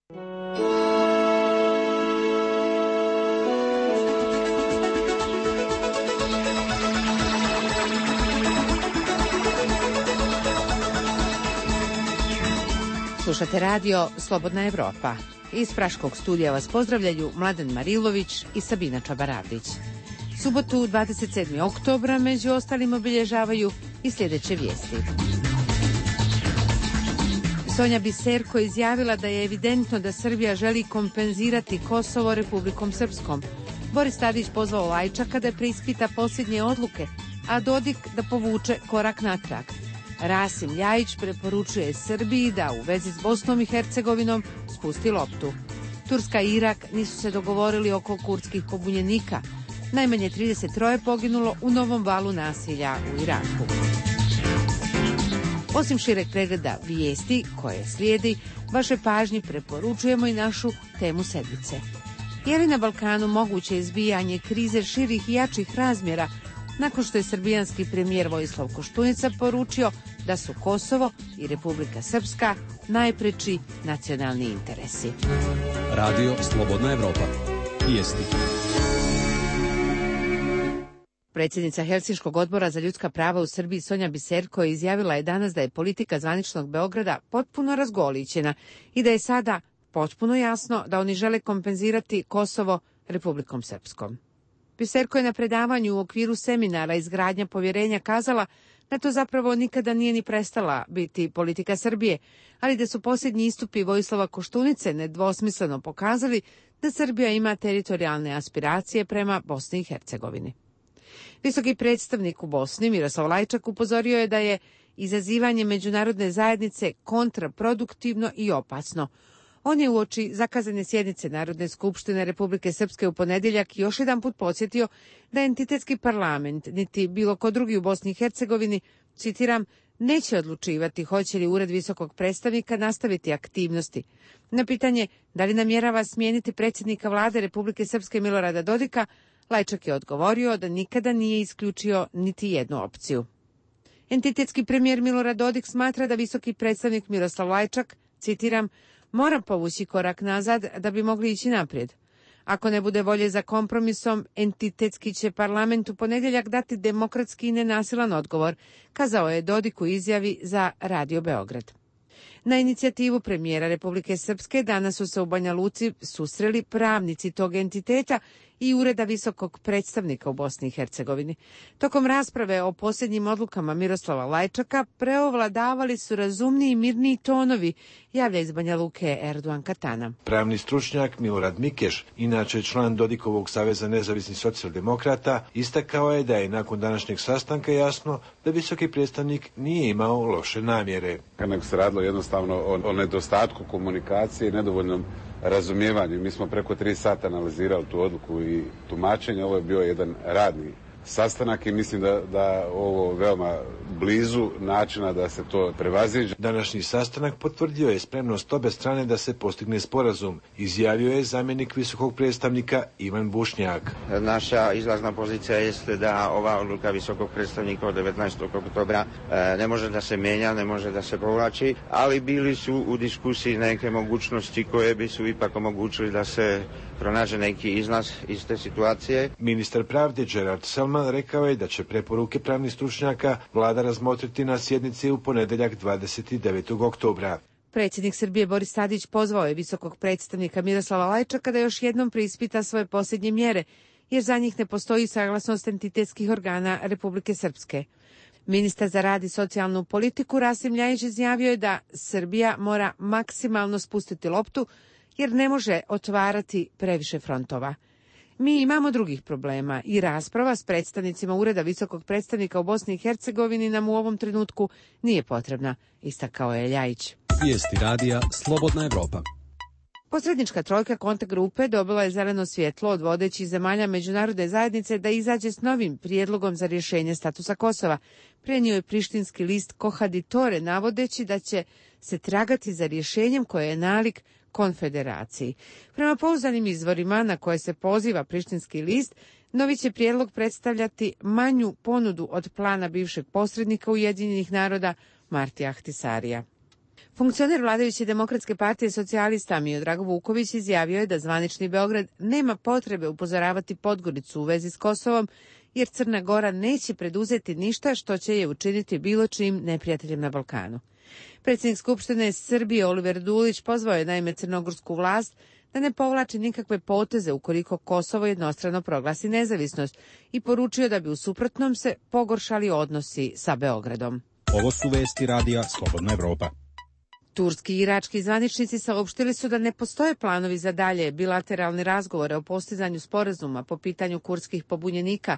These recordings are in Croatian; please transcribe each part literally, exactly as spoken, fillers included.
Slušate radio Slobodna Evropa. Iz Praškog studija vas pozdravljaju Mladen Marilović i Sabina Čabaravdić. Subotu dvadeset sedmog oktobra među ostalim obilježavaju i sljedeće vijesti. Sonja Biserko izjavila da je evidentno da Srbija želi kompenzirati Kosovo Republikom Srpskom. Boris Tadić pozvao Lajčaka da preispita posljednje odluke, a Dodik da povuče korak natrag. Rasim Ljajić preporučuje Srbiji da u vezi s Bosnom i Hercegovinom spusti loptu. Turska i Irak nisu se dogovorili oko kurdskih pobunjenika. Najmanje trideset troje poginulo u novom valu nasilja u Iraku. Osim šireg pregleda vijesti koje slijedi, vaše pažnji preporučujemo i našu temu sedmice. Je li na Balkanu moguće izbijanje krize širih i jačih razmjera nakon što je srbijanski premijer Vojislav Koštunica poručio da su Kosovo i Republika Srpska najpreči nacionalni interesi? Radio Slobodna Evropa. Vijesti. Predsjednica Helsinškog odbora za ljudska prava u Srbiji Sonja Biserko izjavila je danas da je politika zvaničnog Beograda potpuno razgolićena i da je sada potpuno jasno da oni žele kompenzirati Kosovo Republikom Srpskom. Biserko je na predavanju u okviru seminara Izgradnja povjerenja kazala da to zapravo nikada nije ni prestala biti politika Srbije, ali da su posljednji istupi Vojislava Koštunice nedvosmisleno pokazali da Srbija ima teritorijalne aspiracije prema Bosni i Hercegovini. Visoki predstavnik u Bosni Miroslav Lajčak upozorio je da je izazivanje međunarodne zajednice kontraproduktivno i opasno. On je uoči zakazane sjednice Narodne skupštine Republike Srpske u ponedjeljak još jedan put podsjetio da entitetski parlament, niti bilo ko drugi u Bosni i Hercegovini, citiram, neće odlučivati hoće li ured visokog predstavnika nastaviti aktivnosti. Na pitanje da li namjerava smijeniti predsjednika vlade Republike Srpske Milorada Dodika, Lajčak je odgovorio da nikada nije isključio niti jednu opciju. Entitetski premijer Milorad Dodik smatra da visoki predstavnik Miroslav Lajčak, citiram, mora povući korak nazad da bi mogli ići naprijed. Ako ne bude volje za kompromisom, entitetski će parlament u ponedjeljak dati demokratski i nenasilan odgovor, kazao je Dodik u izjavi za Radio Beograd. Na inicijativu premijera Republike Srpske danas su se u Banja Luci susreli pravnici tog entiteta i ureda visokog predstavnika u Bosni i Hercegovini. Tokom rasprave o posljednjim odlukama Miroslava Lajčaka preovladavali su razumniji i mirniji tonovi, javlja iz Banja Luke Erdogan Katana. Pravni stručnjak Milorad Mikeš, inače član Dodikovog saveza nezavisnih socijaldemokrata, istakao je da je nakon današnjeg sastanka jasno da visoki predstavnik nije imao loše namjere. Nego se radilo jednostavno o, o nedostatku komunikacije i nedovoljnom razumijevanju. Mi smo preko tri sata analizirali tu odluku i tumačenje. Ovo je bio jedan radni sastanak i mislim da, da ovo veoma blizu načina da se to prevaziđe. Današnji sastanak potvrdio je spremnost obe strane da se postigne sporazum, izjavio je zamjenik visokog predstavnika Ivan Bušnjak. Naša izlazna pozicija jeste da ova odluka visokog predstavnika od devetnaestog oktobra ne može da se mijenja, ne može da se povlači, ali bili su u diskusiji neke mogućnosti koje bi su ipak omogućili da se pronađe neki izlaz iz te situacije. Ministar pravde Gerard Selman rekao je da će preporuke pravnih stručnjaka vlada razmotriti na sjednici u ponedjeljak dvadeset devetog oktobra. Predsjednik Srbije Boris Tadić pozvao je visokog predstavnika Miroslava Lajčaka da još jednom preispita svoje posljednje mjere, jer za njih ne postoji saglasnost entitetskih organa Republike Srpske. Ministar za rad i socijalnu politiku Rasim Ljajić izjavio je da Srbija mora maksimalno spustiti loptu jer ne može otvarati previše frontova. Mi imamo drugih problema i rasprava s predstavnicima Ureda visokog predstavnika u Bosni i Hercegovini nam u ovom trenutku nije potrebna, istakao je Ljajić. Vijesti radija Slobodna Evropa. Posrednička trojka kontakt grupe dobila je zeleno svjetlo od vodećih zemalja međunarodne zajednice da izađe s novim prijedlogom za rješenje statusa Kosova. Prenio je prištinski list Kohaditore navodeći da će se tragati za rješenjem koje je nalik konfederaciji. Prema pouzdanim izvorima na koje se poziva prištinski list, novi će prijedlog predstavljati manju ponudu od plana bivšeg posrednika Ujedinjenih naroda Martija Ahtisarija. Funkcioner vladajuće Demokratske partije socijalista Miodrag Vuković izjavio je da zvanični Beograd nema potrebe upozoravati Podgoricu u vezi s Kosovom, jer Crna Gora neće preduzeti ništa što će je učiniti bilo čim neprijateljem na Balkanu. Predsjednik Skupštine Srbije Oliver Dulić pozvao je naime crnogorsku vlast da ne povlači nikakve poteze ukoliko Kosovo jednostrano proglasi nezavisnost i poručio da bi u suprotnom se pogoršali odnosi sa Beogradom. Ovo su vesti radija Slobodna Evropa. Turski i irački zvaničnici saopštili su da ne postoje planovi za dalje bilateralne razgovore o postizanju sporazuma po pitanju kurdskih pobunjenika.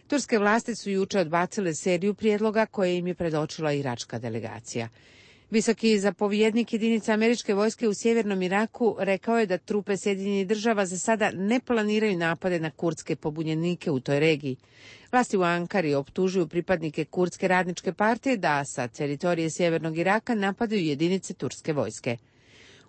Turske vlasti su juče odbacile seriju prijedloga koje im je predočila iračka delegacija. Visoki zapovjednik jedinica američke vojske u sjevernom Iraku rekao je da trupe Sjedinjenih država za sada ne planiraju napade na kurdske pobunjenike u toj regiji. Vlasti u Ankari optužuju pripadnike kurdske radničke partije da sa teritorije sjevernog Iraka napadaju jedinice turske vojske.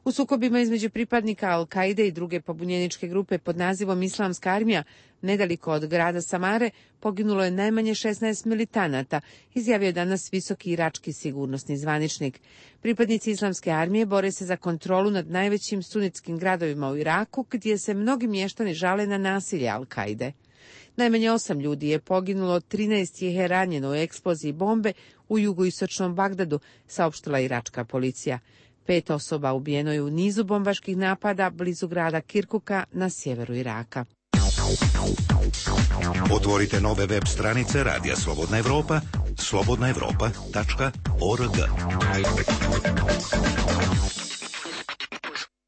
U sukobima između pripadnika Al-Kaide i druge pobunjeničke grupe pod nazivom Islamska armija, nedaleko od grada Samare, poginulo je najmanje šesnaest militanata, izjavio je danas visoki irački sigurnosni zvaničnik. Pripadnici Islamske armije bore se za kontrolu nad najvećim sunitskim gradovima u Iraku, gdje se mnogi mještani žale na nasilje Al-Kaide. Najmanje osam ljudi je poginulo, trinaest ih je ranjeno u eksploziji bombe u jugoistočnom Bagdadu, saopštila iračka policija. Pet osoba ubijeno je u nizu bombaških napada blizu grada Kirkuka na sjeveru Iraka. Otvorite nove web stranice Radija Slobodna Evropa, slobodna evropa tačka org.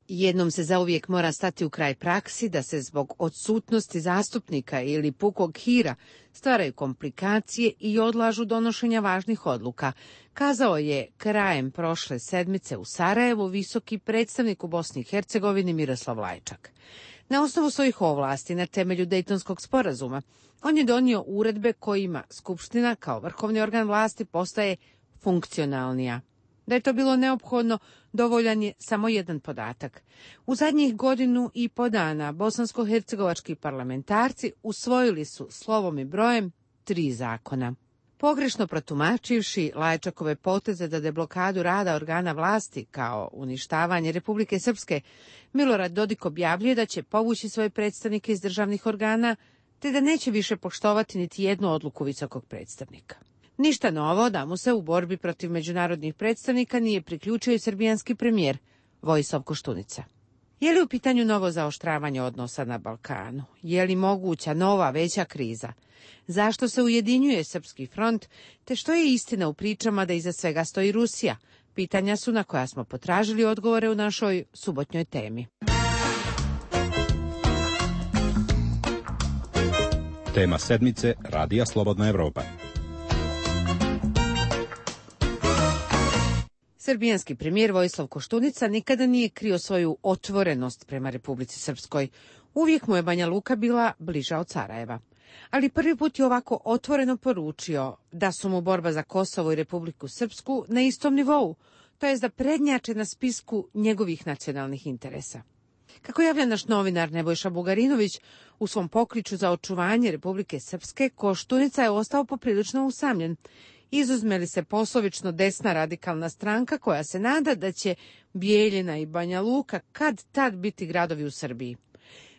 Jednom se zauvijek mora stati u kraj praksi da se zbog odsutnosti zastupnika ili pukog hira stvaraju komplikacije i odlažu donošenja važnih odluka, kazao je krajem prošle sedmice u Sarajevu visoki predstavnik u Bosni i Hercegovini Miroslav Lajčak. Na osnovu svojih ovlasti na temelju Dejtonskog sporazuma, on je donio uredbe kojima Skupština kao vrhovni organ vlasti postaje funkcionalnija. Da je to bilo neophodno, dovoljan je samo jedan podatak. U zadnjih godinu i po dana bosansko-hercegovački parlamentarci usvojili su slovom i brojem tri zakona. Pogrešno protumačivši Lajčakove poteze da deblokadu rada organa vlasti kao uništavanje Republike Srpske, Milorad Dodik objavljuje da će povući svoje predstavnike iz državnih organa, te da neće više poštovati niti jednu odluku visokog predstavnika. Ništa novo da mu se u borbi protiv međunarodnih predstavnika nije priključio i srbijanski premijer Vojislav Koštunica. Je li u pitanju novo zaoštravanje odnosa na Balkanu? Je li moguća nova veća kriza? Zašto se ujedinjuje Srpski front? Te što je istina u pričama da iza svega stoji Rusija? Pitanja su na koja smo potražili odgovore u našoj subotnjoj temi. Tema sedmice Radija Slobodna Evropa. Srbijanski premijer Vojislav Koštunica nikada nije krio svoju otvorenost prema Republici Srpskoj. Uvijek mu je Banja Luka bila bliža od Sarajeva. Ali prvi put je ovako otvoreno poručio da su mu borba za Kosovo i Republiku Srpsku na istom nivou, to jest da prednjače na spisku njegovih nacionalnih interesa. Kako javlja naš novinar Nebojša Bugarinović, u svom pokliču za očuvanje Republike Srpske, Koštunica je ostao poprilično usamljen. Izuzme li se poslovično desna radikalna stranka koja se nada da će Bijeljina i Banja Luka kad tad biti gradovi u Srbiji.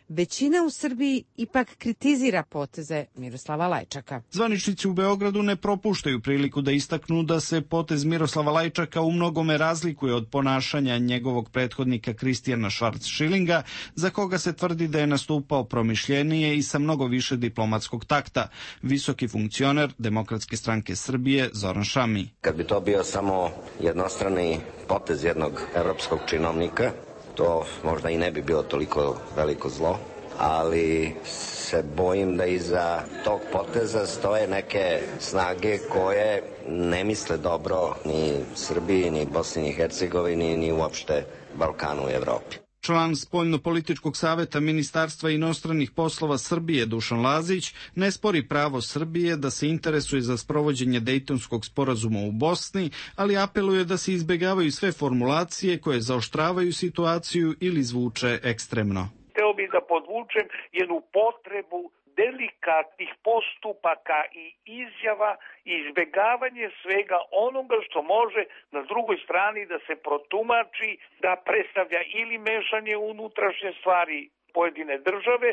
Većina u Srbiji ipak kritizira poteze Miroslava Lajčaka. Zvaničnici u Beogradu ne propuštaju priliku da istaknu da se potez Miroslava Lajčaka u mnogome razlikuje od ponašanja njegovog prethodnika Kristijana Švarc-Šilinga, za koga se tvrdi da je nastupao promišljenije i sa mnogo više diplomatskog takta. Visoki funkcioner Demokratske stranke Srbije Zoran Šami. Kad bi to bio samo jednostrani potez jednog evropskog činovnika, to možda i ne bi bilo toliko veliko zlo, ali se bojim da iza tog poteza stoje neke snage koje ne misle dobro ni Srbiji, ni Bosni i Hercegovini, ni uopšte Balkanu i Evropi. Član Spoljno-političkog saveta Ministarstva inostranih poslova Srbije Dušan Lazić ne spori pravo Srbije da se interesuje za sprovođenje Dejtonskog sporazuma u Bosni, ali apeluje da se izbjegavaju sve formulacije koje zaoštravaju situaciju ili zvuče ekstremno. Hteo bih da podvučem jednu potrebu delikatnih postupaka i izjava i izbjegavanje svega onoga što može na drugoj strani da se protumači da predstavlja ili mešanje u unutrašnje stvari pojedine države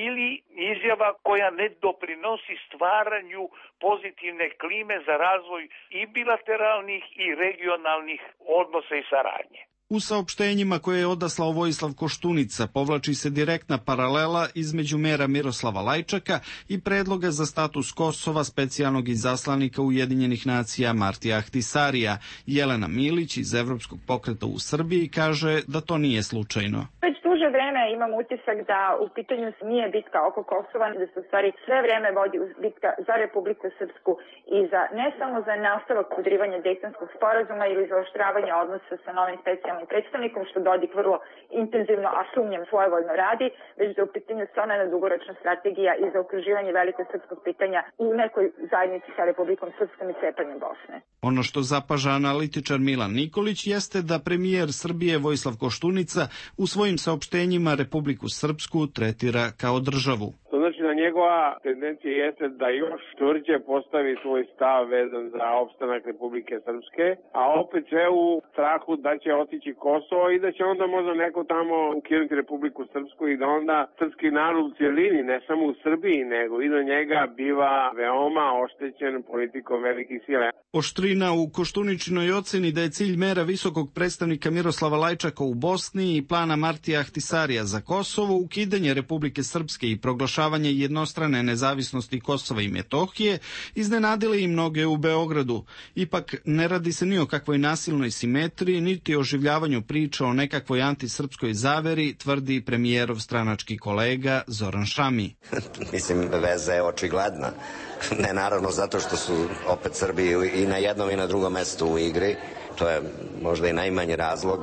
ili izjava koja ne doprinosi stvaranju pozitivne klime za razvoj i bilateralnih i regionalnih odnosa i saradnje. U saopštenjima koje je odaslao Vojislav Koštunica povlači se direktna paralela između mera Miroslava Lajčaka i predloga za status Kosova specijalnog izaslanika Ujedinjenih nacija Martija Ahtisarija. Jelena Milić iz Evropskog pokreta u Srbiji kaže da to nije slučajno. Već duže vreme imam utisak da u pitanju nije bitka oko Kosova, da se u stvari sve vreme vodi bitka za Republiku Srpsku i za ne samo za nastavak podrivanja Dejtonskog sporazuma ili za oštravanje odnosa sa novim specijalnim predstavnikom, što Dodik vrlo intenzivno, a sumnjam svojevoljno radi, već da u pitanju stvarno jedna dugoročna strategija i za okruživanje velikog srpskog pitanja u nekoj zajednici sa Republikom Srpskom i cepanjem Bosne. Ono što zapaža analitičar Milan Nikolić jeste da premijer Srbije Vojislav Koštunica u svojim saopštenjima Republiku Srpsku tretira kao državu. To znači da njegova tendencija jeste da još tvrđe postavi svoj stav vezan za opstanak Republike Srpske, a opet sve u strahu da će otići Kosovo i da će onda možda neko tamo ukinuti Republiku Srpsku i da onda srpski narod u cijelini, ne samo u Srbiji, nego i do njega biva veoma oštećen politikom velikih sila. Oštrina u Koštuničinoj oceni da je cilj mera visokog predstavnika Miroslava Lajčaka u Bosni i plana Martija Ahtisarija za Kosovo, ukidanje Republike Srpske i proglašavanje jednostrane nezavisnosti Kosova i Metohije, iznenadile i mnoge u Beogradu. Ipak ne radi se ni o kakvoj nasilnoj simetriji, niti o oživljavanju priča o nekakvoj antisrpskoj zaveri, tvrdi premijerov stranački kolega Zoran Šami. Mislim, veza je očigledna. Ne naravno zato što su opet Srbi i na jednom i na drugom mestu u igri. To je možda i najmanji razlog,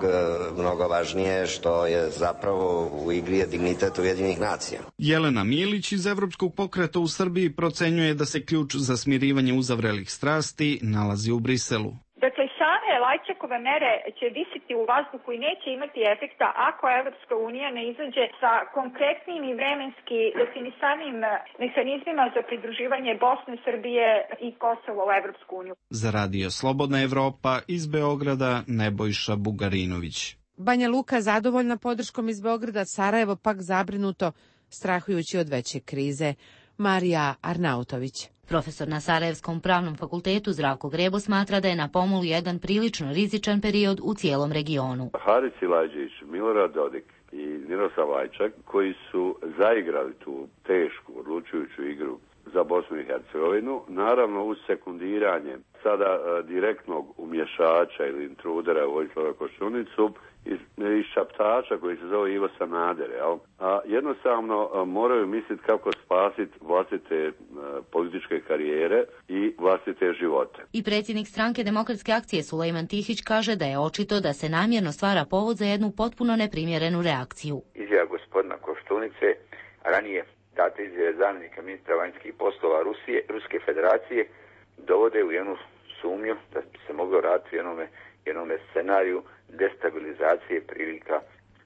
mnogo važnije što je zapravo u igri je dignitet Ujedinjenih nacija. Jelena Milić iz Evropskog pokreta u Srbiji procenjuje da se ključ za smirivanje uzavrelih strasti nalazi u Briselu. Dakle, same Lajčakove mere će visiti u vazduhu i neće imati efekta ako Evropska unija ne izađe sa konkretnim i vremenski definisanim mehanizmima za pridruživanje Bosne, Srbije i Kosova u Evropsku uniju. Za Radio Slobodna Evropa iz Beograda Nebojša Bugarinović. Banja Luka zadovoljna podrškom iz Beograda, Sarajevo pak zabrinuto, strahujući od veće krize. Marija Arnautović. Profesor na Sarajevskom pravnom fakultetu Zdravko Grebo smatra da je na pomolu jedan prilično rizičan period u cijelom regionu. Haris Silajdžić, Milorad Dodik i Miroslav Lajčak, koji su zaigrali tu tešku, odlučujuću igru za Bosnu i Hercegovinu, naravno uz sekundiranje sada a, direktnog umješača ili intrudera Vojislava Koštunicu iz, iz šaptača koji se zove Ivo Sanader, jel? A jednostavno a, moraju misliti kako spasiti vlastite a, političke karijere i vlastite živote. I predsjednik stranke Demokratske akcije Sulejman Tihić kaže da je očito da se namjerno stvara povod za jednu potpuno neprimjerenu reakciju. Izjava gospodina Koštunice, ranije date izjave zamjenika ministra vanjskih poslova Rusije, Ruske federacije, dovode u jednu sumnju da bi se moglo raditi u jednome, jednome scenariju destabilizacije prilika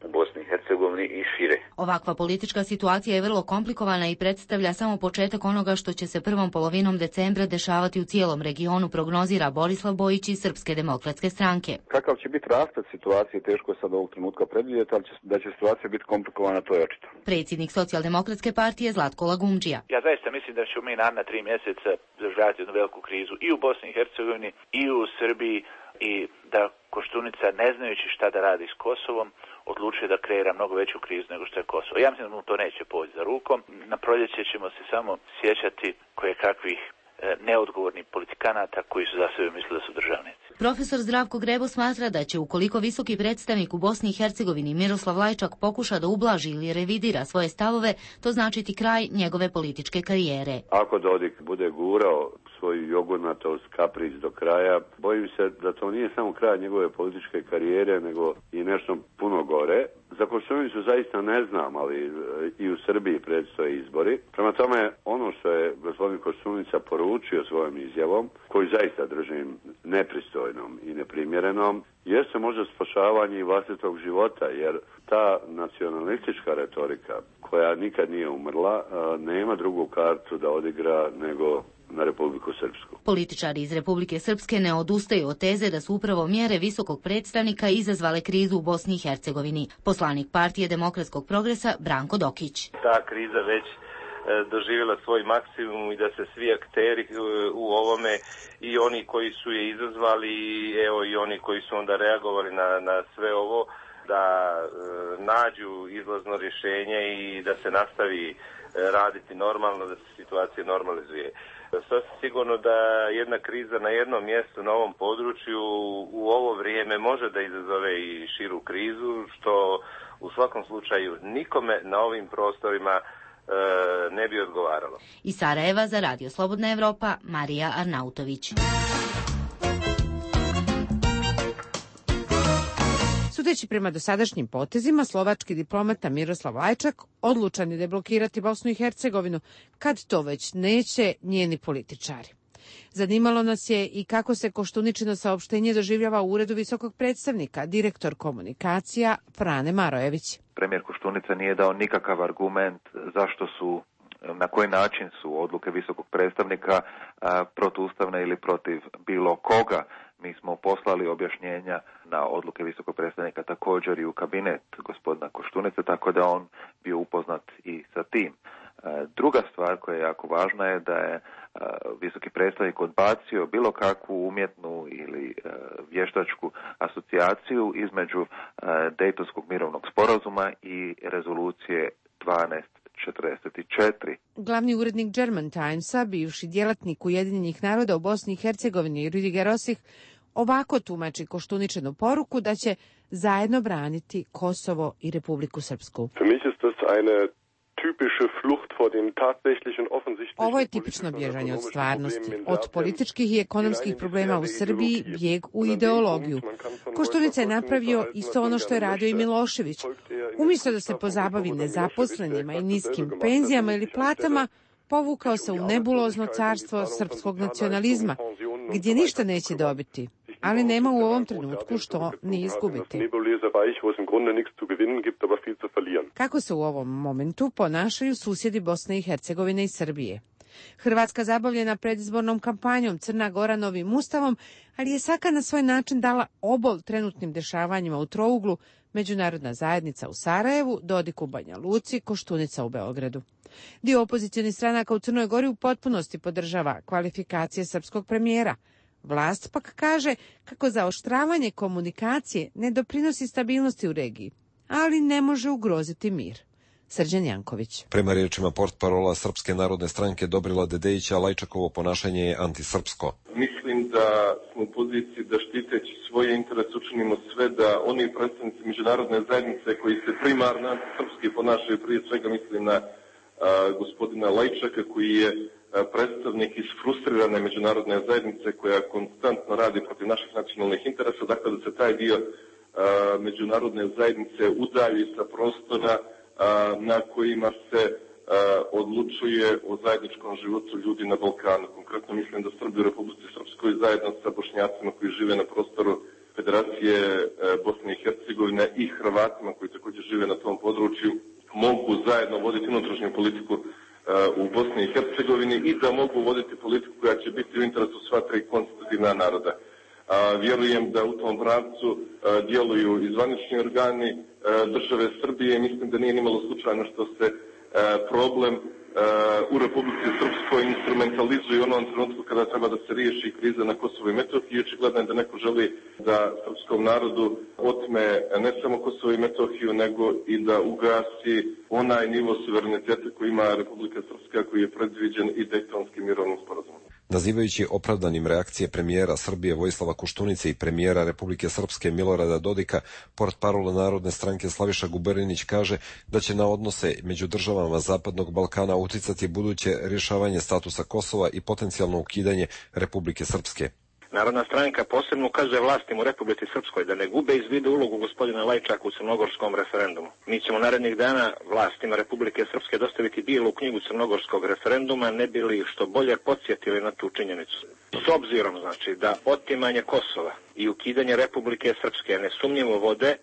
u Bosni i Hercegovini i šire. Ovakva politička situacija je vrlo komplikovana i predstavlja samo početak onoga što će se prvom polovinom decembra dešavati u cijelom regionu, prognozira Borislav Bojić iz Srpske demokratske stranke. Kakav će biti rasplet situacije, teško je sad ovog trenutka predvidjeti, ali će, da će situacija biti komplikovana, to je očito. Predsjednik Socijaldemokratske partije Zlatko Lagumdžija. Ja zaista mislim da ćemo mi naredna tri mjeseca doživljavati jednu veliku krizu i u Bosni i Hercegovini i u Srbiji i da Koštunica, ne znajući šta da radi s Kosovom, odlučuje da kreira mnogo veću krizu nego što je Kosovo. Ja mislim da mu to neće poći za rukom. Na proljeće ćemo se samo sjećati koje kakvih e, neodgovornih politikanata koji su za sebe mislili da su državnici. Profesor Zdravko Grebo smatra da će ukoliko visoki predstavnik u Bosni i Hercegovini Miroslav Lajčak pokuša da ublaži ili revidira svoje stavove, to značiti kraj njegove političke karijere. Ako Dodik bude gurao svoju jogurnatost, kapric do kraja, bojim se da to nije samo kraj njegove političke karijere, nego i nešto puno gore. Za Koštunicu zaista ne znam, ali i u Srbiji predstoje izbori. Prema tome, ono što je gospodin Koštunica poručio svojom izjavom, koju zaista držim nepristojnom i neprimjerenom, jeste možda spašavanje i vlastitog života, jer ta nacionalistička retorika koja nikad nije umrla, nema drugu kartu da odigra nego na Republiku Srpsku. Političari iz Republike Srpske ne odustaju od teze da su upravo mjere visokog predstavnika izazvale krizu u Bosni i Hercegovini. Poslanik Partije demokratskog progresa Branko Dokić. Ta kriza već doživjela svoj maksimum i da se svi akteri u ovome, i oni koji su je izazvali, evo i oni koji su onda reagovali na, na sve ovo, da e, nađu izlazno rješenje i da se nastavi raditi normalno, da se situacija normalizuje. Sasvim sigurno da jedna kriza na jednom mjestu, na ovom području, u ovo vrijeme može da izazove i širu krizu, što u svakom slučaju nikome na ovim prostorima ne bi odgovaralo. Iz Sarajeva za Radio Slobodna Evropa, Marija Arnautović. Sudeći prema dosadašnjim potezima, slovački diplomata Miroslav Lajčak odlučan je deblokirati Bosnu i Hercegovinu, kad to već neće njeni političari. Zanimalo nas je i kako se Koštuničino saopštenje doživljava u uredu visokog predstavnika, direktor komunikacija Frane Marojević. Premijer Koštunica nije dao nikakav argument zašto su, na koji način su odluke visokog predstavnika protuustavne ili protiv bilo koga. Mi smo poslali objašnjenja na odluke visokog predstavnika također i u kabinet gospodina Koštunice, tako da on bio upoznat i sa tim. Druga stvar koja je jako važna je da je visoki predstavnik odbacio bilo kakvu umjetnu ili vještačku asocijaciju između Dejtonskog mirovnog sporazuma i rezolucije dvanaest četrdeset četiri. Glavni urednik German Timesa, bivši djelatnik Ujedinjenih naroda u Bosni i Hercegovini Rüdiger Rosich, ovako tumači Koštuničinu poruku da će zajedno braniti Kosovo i Republiku Srpsku. Ovo je tipično bježanje od stvarnosti, od političkih i ekonomskih problema u Srbiji, bijeg u ideologiju. Koštunica je napravio isto ono što je radio i Milošević. Umjesto da se pozabavi nezaposlenima i niskim penzijama ili platama, povukao se u nebulozno carstvo srpskog nacionalizma, gdje ništa neće dobiti, ali nema u ovom trenutku što ni izgubiti. Kako se u ovom momentu ponašaju susjedi Bosne i Hercegovine i Srbije? Hrvatska zabavljena predizbornom kampanjom, Crna Gora novim ustavom, ali je svaka na svoj način dala obol trenutnim dešavanjima u trouglu, međunarodna zajednica u Sarajevu, Dodik u Banja Luci, Koštunica u Beogradu. Dio opozicionih stranaka u Crnoj Gori u potpunosti podržava kvalifikacije srpskog premijera. Vlast pak kaže kako zaoštravanje komunikacije ne doprinosi stabilnosti u regiji, ali ne može ugroziti mir. Srđan Janković. Prema riječima portparola Srpske narodne stranke Dobrila Dedejića, Lajčakovo ponašanje je antisrpsko. Mislim da smo u poziciji da štiteći svoje interese učinimo sve da oni predstavnici međunarodne zajednice koji se primarno antisrpski ponašaju, prije svega mislim na a, gospodina Lajčaka koji je a, predstavnik iz frustrirane međunarodne zajednice koja konstantno radi protiv naših nacionalnih interesa, dakle da se taj dio a, međunarodne zajednice udalji sa prostora na kojima se a, odlučuje o zajedničkom životu ljudi na Balkanu. Konkretno mislim da Srbi u Republici Srpskoj zajedno sa Bošnjacima koji žive na prostoru Federacije a, Bosne i Hercegovine i Hrvatima koji također žive na tom području mogu zajedno voditi unutrašnju politiku a, u Bosni i Hercegovini i da mogu voditi politiku koja će biti u interesu sva tri konstitutivna naroda. A, vjerujem da u tom pravcu a, djeluju i zvanični organi a, države Srbije. Mislim da nije nimalo slučajno što se a, problem a, u Republici Srpskoj instrumentalizuje u onom trenutku kada treba da se riješi kriza na Kosovo i Metohiji. Očigledno je da neko želi da srpskom narodu otme ne samo Kosovo i Metohiju, nego i da ugasi onaj nivo suvereniteta koji ima Republika Srpska, koji je predviđen i Dejtonskim mirovnim sporazumom. Nazivajući opravdanim reakcije premijera Srbije Vojislava Koštunice i premijera Republike Srpske Milorada Dodika, portparol Narodne stranke Slaviša Guberinić kaže da će na odnose među državama Zapadnog Balkana uticati buduće rješavanje statusa Kosova i potencijalno ukidanje Republike Srpske. Narodna stranka posebno ukazuje vlastima u Republici Srpskoj da ne gube iz vidu ulogu gospodina Lajčaka u crnogorskom referendumu. Mi ćemo narednih dana vlastima Republike Srpske dostaviti bijelu knjigu crnogorskog referenduma, ne bi li što bolje podsjetili na tu činjenicu. S obzirom, znači, da otimanje Kosova i ukidanje Republike Srpske nesumnjivo vode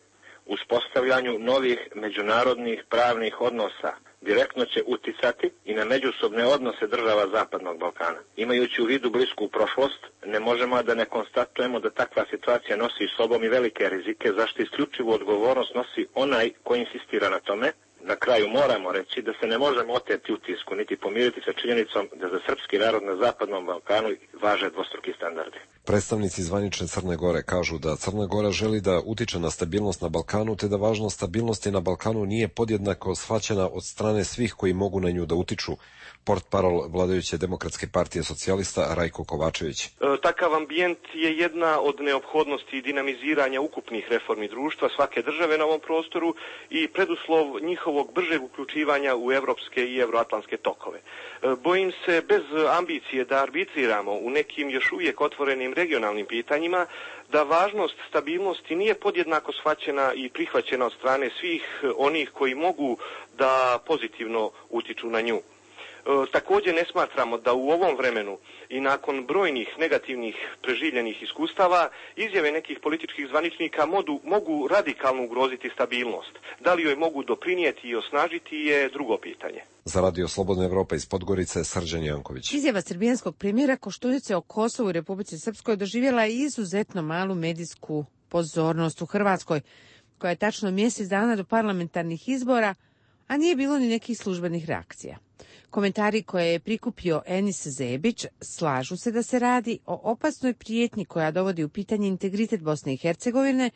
uspostavljanju novih međunarodnih pravnih odnosa, direktno će uticati i na međusobne odnose država Zapadnog Balkana. Imajući u vidu blisku prošlost, ne možemo da ne konstatujemo da takva situacija nosi sobom i velike rizike, zašto isključivu odgovornost nosi onaj koji insistira na tome. Na kraju moramo reći da se ne možemo oteti utisku niti pomiriti sa činjenicom da za srpski narod na Zapadnom Balkanu važe dvostruki standardi. Predstavnici zvanične Crne Gore kažu da Crna Gora želi da utiče na stabilnost na Balkanu, te da važnost stabilnosti na Balkanu nije podjednako shvaćena od strane svih koji mogu na nju da utiču. Portparol vladajuće Demokratske partije socijalista Rajko Kovačević. E, takav ambijent je jedna od neophodnosti dinamiziranja ukupnih reformi društva svake države na ovom prostoru i preduslov njihovog bržeg uključivanja u evropske i evroatlantske tokove. E, bojim se bez ambicije da arbitriramo u nekim još uvijek otvorenim regionalnim pitanjima, da važnost stabilnosti nije podjednako shvaćena i prihvaćena od strane svih onih koji mogu da pozitivno utiču na nju. E, također ne smatramo da u ovom vremenu i nakon brojnih negativnih preživljenih iskustava izjave nekih političkih zvaničnika modu, mogu radikalno ugroziti stabilnost. Da li joj mogu doprinijeti i osnažiti je drugo pitanje. Za Radio Slobodna Evropa iz Podgorice, Srđan Janković. Izjava srbijanskog premijera Koštunice o Kosovu i Republici Srpskoj doživjela je izuzetno malu medijsku pozornost u Hrvatskoj, koja je tačno mjesec dana do parlamentarnih izbora, a nije bilo ni nekih službenih reakcija. Komentari koje je prikupio Enis Zebić slažu se da se radi o opasnoj prijetnji koja dovodi u pitanje integritet Bosne i Hercegovine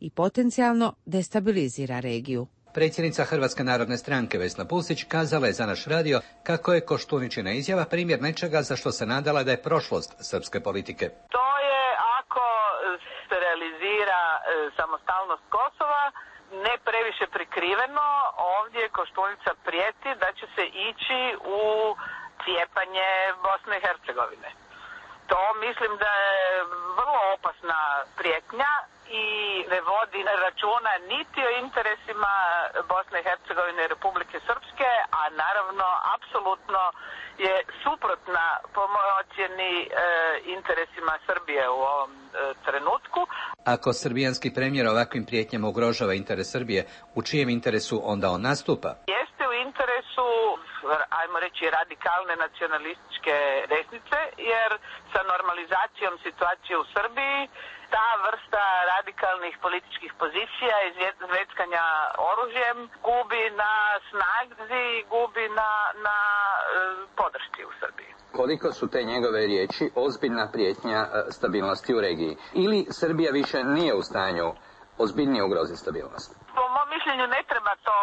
i potencijalno destabilizira regiju. Predsjednica Hrvatske narodne stranke Vesna Pusić kazala je za naš radio kako je Koštuničina izjava primjer nečega za što se nadala da je prošlost srpske politike. To je ako se realizira e, samostalnost Kosova, ne previše prikriveno, ovdje Koštunica prijeti da će se ići u cijepanje Bosne i Hercegovine. To mislim da je vrlo opasna prijetnja i ne vodi računa niti o interesima Bosne i Hercegovine i Republike Srpske, a naravno apsolutno je suprotna po mojoj ocjeni e, interesima Srbije u ovom e, trenutku. Ako srbijanski premijer ovakvim prijetnjama ugrožava interes Srbije, u čijem interesu onda on nastupa? Jeste u interesu, ajmo reći, radikalne nacionalističke desnice, jer sa normalizacijom situacije u Srbiji ta vrsta radikalnih političkih pozicija i zveckanja oružjem gubi na snazi, gubi na, na e, podršci u Srbiji. Koliko su te njegove riječi ozbiljna prijetnja e, stabilnosti u regiji? Ili Srbija više nije u stanju ozbiljnije ugroziti stabilnost? Po mom mišljenju ne treba to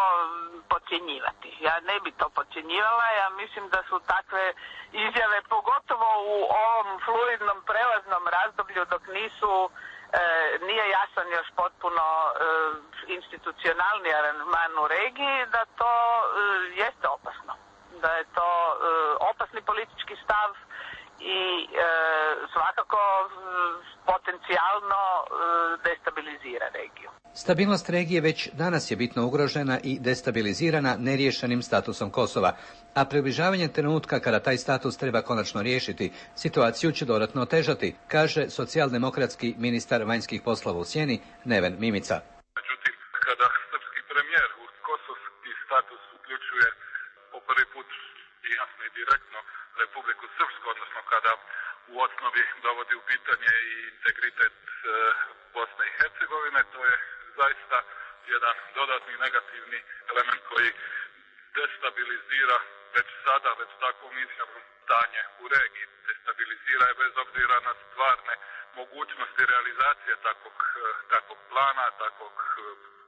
podcjenjivati. Ja ne bi to podcjenjivala. Ja mislim da su takve izjave, pogotovo u ovom fluidnom prelaznom razdoblju dok nisu e, nije jasan još potpuno e, institucionalni aranžman u regiji, da to e, jeste opasno. Da je to e, opasni politički stav i e, svakako e, potencijalno e, destabilizira regiju. Stabilnost regije već danas je bitno ugrožena i destabilizirana neriješenim statusom Kosova, a približavanje trenutka kada taj status treba konačno riješiti, situaciju će dodatno otežati, kaže socijaldemokratski ministar vanjskih poslova u sjeni Neven Mimica. Međutim, kada srpski premijer u kosovski status uključuje po prvi put i jasno i direktno Republiku Srpsku, odnosno kada u osnovi dovodi u pitanje i integritet e, Bosne i Hercegovine, to je zaista jedan dodatni negativni element koji destabilizira već sada, već takvom izjavom stanje u regiji. Destabilizira je bez obzira na stvarne mogućnosti realizacije takvog, takvog plana, takvog,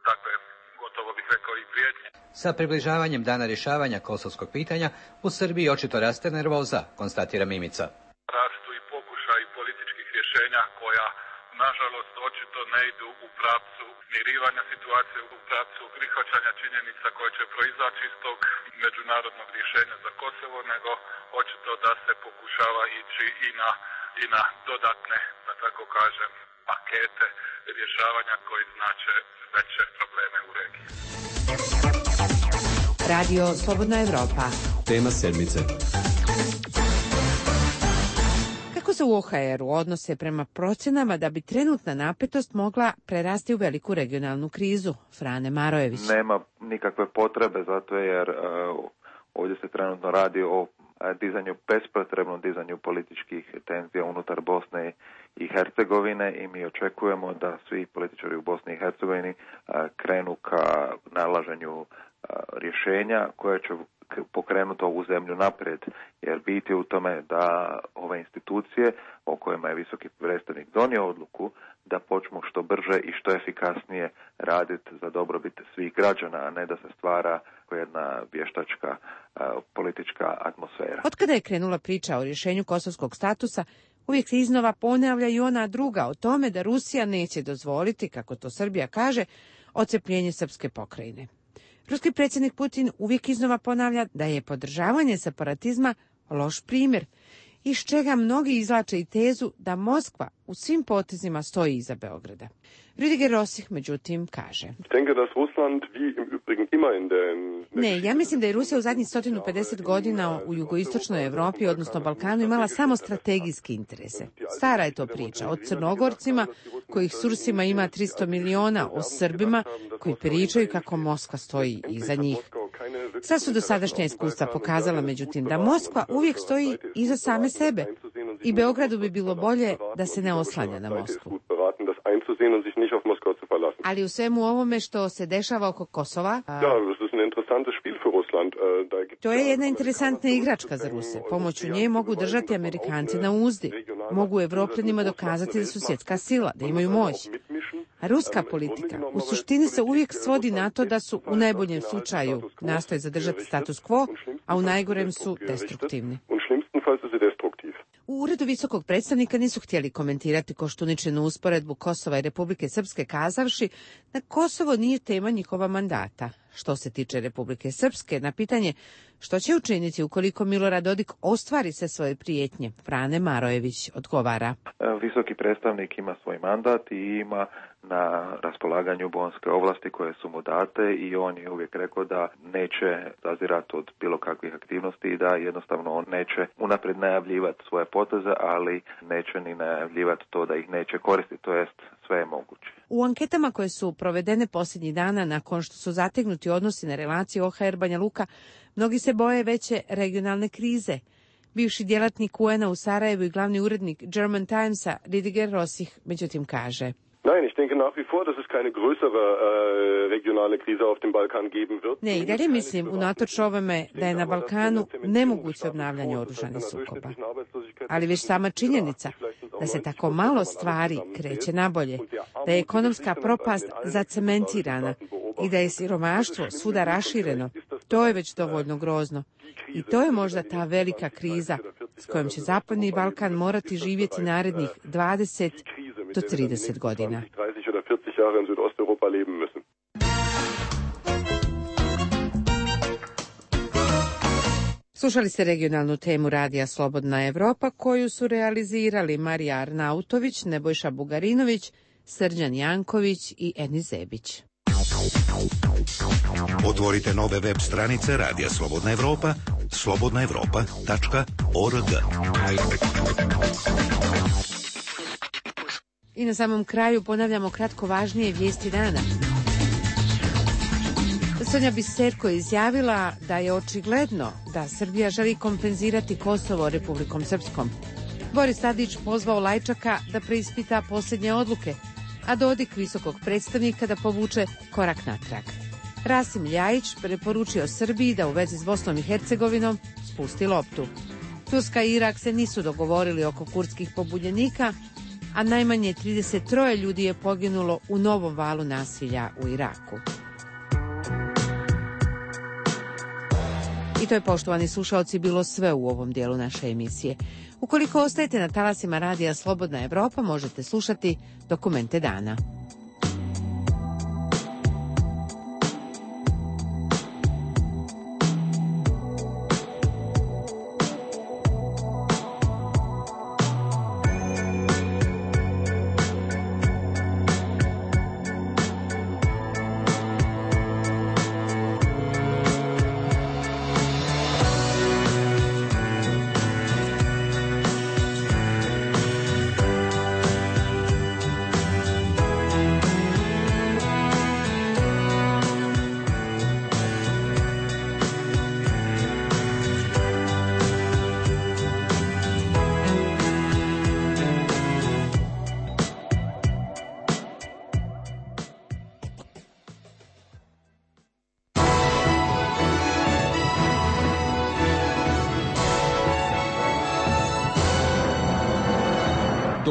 takve, gotovo bih rekao, i prijetnje. Sa približavanjem dana rješavanja kosovskog pitanja u Srbiji očito raste nervoza, konstatira Mimica. Rastu i pokušaj političkih rješenja koja nažalost očito ne idu u pravcu mirivanja situacije, u pravcu prihvaćanja činjenica koje će proizaći iz tog međunarodnog rješenja za Kosovo, nego očito da se pokušava ići i na i na dodatne, da tako kažem, pakete rješavanja koji znače veće probleme u regiji. Radio Slobodna Evropa. Tema sedmice. Kako se u O H R-u odnose prema procenama da bi trenutna napetost mogla prerasti u veliku regionalnu krizu? Frane Marojević. Nema nikakve potrebe, zato jer uh, ovdje se trenutno radi o dizanju, bespotrebnom dizanju političkih tenzija unutar Bosne i Hercegovine i mi očekujemo da svi političari u Bosni i Hercegovini uh, krenu ka nalaženju uh, rješenja koje će pokrenuti ovu zemlju naprijed, jer biti u tome da ove institucije o kojima je visoki predstavnik donio odluku da počnu što brže i što efikasnije raditi za dobrobit svih građana, a ne da se stvara jedna vještačka uh, politička atmosfera. Otkada je krenula priča o rješenju kosovskog statusa, uvijek se iznova ponavlja i ona druga o tome da Rusija neće dozvoliti, kako to Srbija kaže, odcepljenje srpske pokrajine. Ruski predsjednik Putin uvijek iznova ponavlja da je podržavanje separatizma loš primjer, iz čega mnogi izvlače i tezu da Moskva u svim potezima stoji iza Beograda. Rüdiger Rossich, međutim, kaže: Ne, ja mislim da je Rusija u zadnjih sto pedeset godina u jugoistočnoj Evropi, odnosno Balkanu, imala samo strategijske interese. Stara je to priča o Crnogorcima, kojih s Rusima ima tristo miliona, o Srbima, koji pričaju kako Moskva stoji iza njih. Sva su dosadašnja iskustva pokazala, međutim, da Moskva uvijek stoji iza same sebe i Beogradu bi bilo bolje da se ne oslanja na Moskvu. Ali u svemu ovome što se dešava oko Kosova, a... to je jedna interesantna igračka za Ruse. Pomoću nje mogu držati Amerikanci na uzdi. Mogu Evropljanima dokazati da su svjetska sila, da imaju moć. A ruska politika u suštini se uvijek svodi na to da su u najboljem slučaju nastoje zadržati status quo, a u najgorem su destruktivni. U uredu visokog predstavnika nisu htjeli komentirati Koštuničinu usporedbu Kosova i Republike Srpske, kazavši da Kosovo nije tema njihova mandata. Što se tiče Republike Srpske, na pitanje što će učiniti ukoliko Milorad Dodik ostvari sve svoje prijetnje, Frane Marojević odgovara: Visoki predstavnik ima svoj mandat i ima na raspolaganju bonske ovlasti koje su mu date i on je uvijek rekao da neće zazirati od bilo kakvih aktivnosti i da jednostavno on neće unaprijed najavljivati svoje poteze, ali neće ni najavljivati to da ih neće koristiti, to jest sve je moguće. U anketama koje su provedene posljednjih dana nakon što su zategnuti odnosi na relaciji O H R Banja Luka, mnogi se boje veće regionalne krize. Bivši djelatnik U N-a u Sarajevu i glavni urednik German Timesa Rüdiger Rossich međutim kaže: Nein, ich denke nach wie vor, dass es keine größere äh, regionale Krise auf dem Balkan geben wird. Ne, i dalje mislim, unatoč ovome, da je na Balkanu nemoguće obnavljanje oružanih sukoba. Ali već sama činjenica da se tako malo stvari kreće nabolje, da je ekonomska propast zacementirana i da je siromaštvo svuda rašireno, to je već dovoljno grozno. I to je možda ta velika kriza s kojom će Zapadni Balkan morati živjeti narednih dvadeset do trideset godina. Slušali ste regionalnu temu Radija Slobodna Evropa koju su realizirali Marija Arnautović, Nebojša Bugarinović, Srđan Janković i Eni Zebić. Otvorite nove web stranice Radija Slobodna Evropa, slobodna evropa tačka org. I na samom kraju ponavljamo kratko važnije vijesti dana. Sonja Biserko je izjavila da je očigledno da Srbija želi kompenzirati Kosovo Republikom Srpskom. Boris Tadić pozvao Lajčaka da preispita posljednje odluke, a Dodik visokog predstavnika da povuče korak natrag. Rasim Ljajić preporučio Srbiji da u vezi s Bosnom i Hercegovinom spusti loptu. Turska i Irak se nisu dogovorili oko kurdskih pobunjenika, a najmanje trideset tri ljudi je poginulo u novom valu nasilja u Iraku. I to je, poštovani slušaoci, bilo sve u ovom dijelu naše emisije. Ukoliko ostajete na talasima Radija Slobodna Evropa, možete slušati Dokumente dana.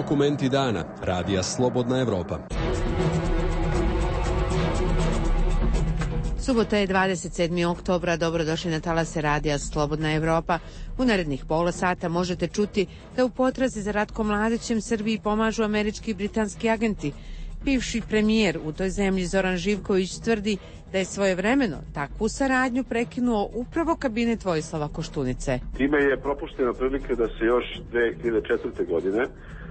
Dokumenti dana. Radija Slobodna Evropa. Subota je dvadeset sedmog oktobra, dobrodošli na talase radija Slobodna Evropa. U narednih pola sata možete čuti da u potrazi za Ratkom Mladićem Srbiji pomažu američki i britanski agenti. Bivši premijer u toj zemlji Zoran Živković tvrdi da je svojevremeno takvu saradnju prekinuo upravo kabinet Vojislava Koštunice. Time je propuštena prilika da se još dve hiljade četvrte. godine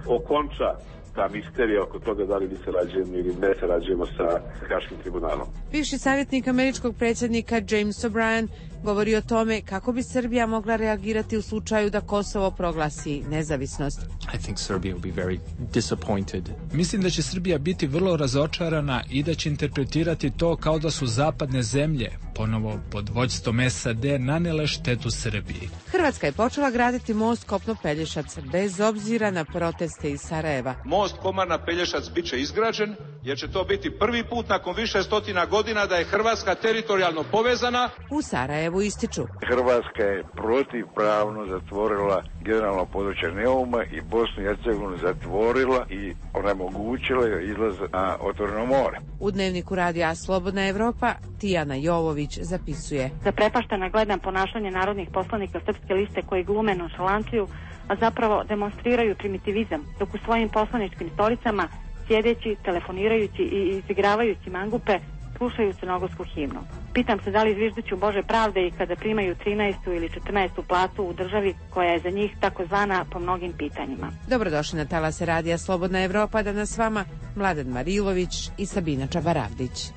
okonča ta misterija oko toga da li mi sarađujemo ili ne sarađujemo sa Haškim tribunalom. Bivši savjetnik američkog predsjednika James O'Brien govori o tome kako bi Srbija mogla reagirati u slučaju da Kosovo proglasi nezavisnost. I think Serbia will be very disappointed. Mislim da će Srbija biti vrlo razočarana i da će interpretirati to kao da su zapadne zemlje, ponovo pod vođstvom S A D, nanele štetu Srbiji. Hrvatska je počela graditi most Kopno-Pelješac bez obzira na proteste iz Sarajeva. Most Komarna-Pelješac bit će izgrađen jer će to biti prvi put nakon više stotina godina da je Hrvatska teritorijalno povezana. U Sarajevu ističu. Hrvatska je protivpravno zatvorila generalno područje Neuma i Bosnu i Hercegovinu zatvorila i onemogućila joj izlaz na otvoreno more. U dnevniku radija Slobodna Evropa Tijana Jovović zapisuje. Zaprepaštena gledam ponašanje narodnih poslanika Srpske liste koji glume nonšalanciju, a zapravo demonstriraju primitivizam, dok u svojim poslaničkim stolicama, sjedeći, telefonirajući i izigravajući mangupe, slušaju crnogorsku himnu. Pitam se da li zvižduću Bože pravde i kada primaju trinaestu ili četrnaestu platu u državi koja je za njih takozvana po mnogim pitanjima. Dobrodošli na talase radija Slobodna Evropa, danas s vama Mladen Marilović i Sabina Čabaravdić.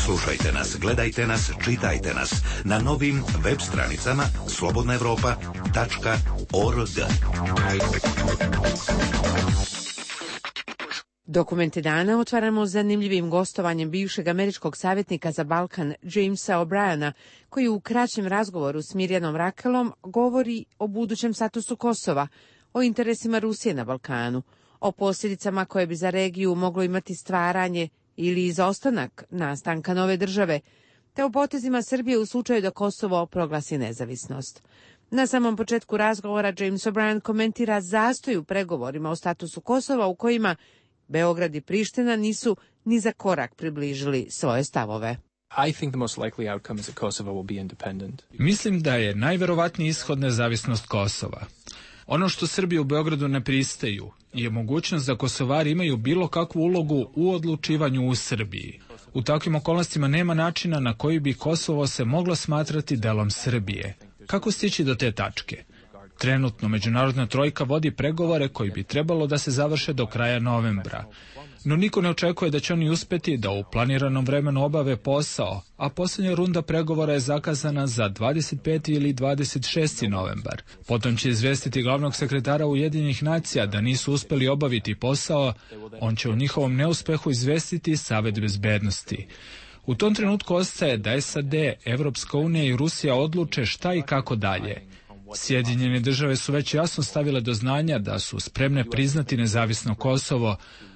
Slušajte nas, gledajte nas, čitajte nas na novim web stranicama slobodna evropa tačka org. Dokumente dana otvaramo zanimljivim gostovanjem bivšeg američkog savjetnika za Balkan Jamesa O'Briena, koji u kraćem razgovoru s Mirjanom Rakelom govori o budućem statusu Kosova, o interesima Rusije na Balkanu, o posljedicama koje bi za regiju moglo imati stvaranje ili izostanak nastanka nove države, te o potezima Srbije u slučaju da Kosovo proglasi nezavisnost. Na samom početku razgovora James O'Brien komentira zastoj u pregovorima o statusu Kosova u kojima Beograd i Priština nisu ni za korak približili svoje stavove. I think the most likely outcome is that Kosovo will be independent. Mislim da je najverovatniji ishod nezavisnost Kosova. Ono što Srbi u Beogradu ne pristaju je mogućnost da Kosovari imaju bilo kakvu ulogu u odlučivanju u Srbiji. U takvim okolnostima nema načina na koji bi Kosovo se moglo smatrati delom Srbije. Kako stići do te tačke? Trenutno međunarodna trojka vodi pregovore koji bi trebalo da se završe do kraja novembra. No niko ne očekuje da će oni uspeti da u planiranom vremenu obave posao, a posljednja runda pregovora je zakazana za dvadeset peti ili dvadeset šesti novembar. Potom će izvestiti glavnog sekretara Ujedinjenih nacija da nisu uspeli obaviti posao, on će o njihovom neuspehu izvestiti Savet bezbednosti. U tom trenutku ostaje da S A D, Evropska unija i Rusija odluče šta i kako dalje. Sjedinjene države su već jasno stavile do znanja da su spremne priznati nezavisno Kosovo,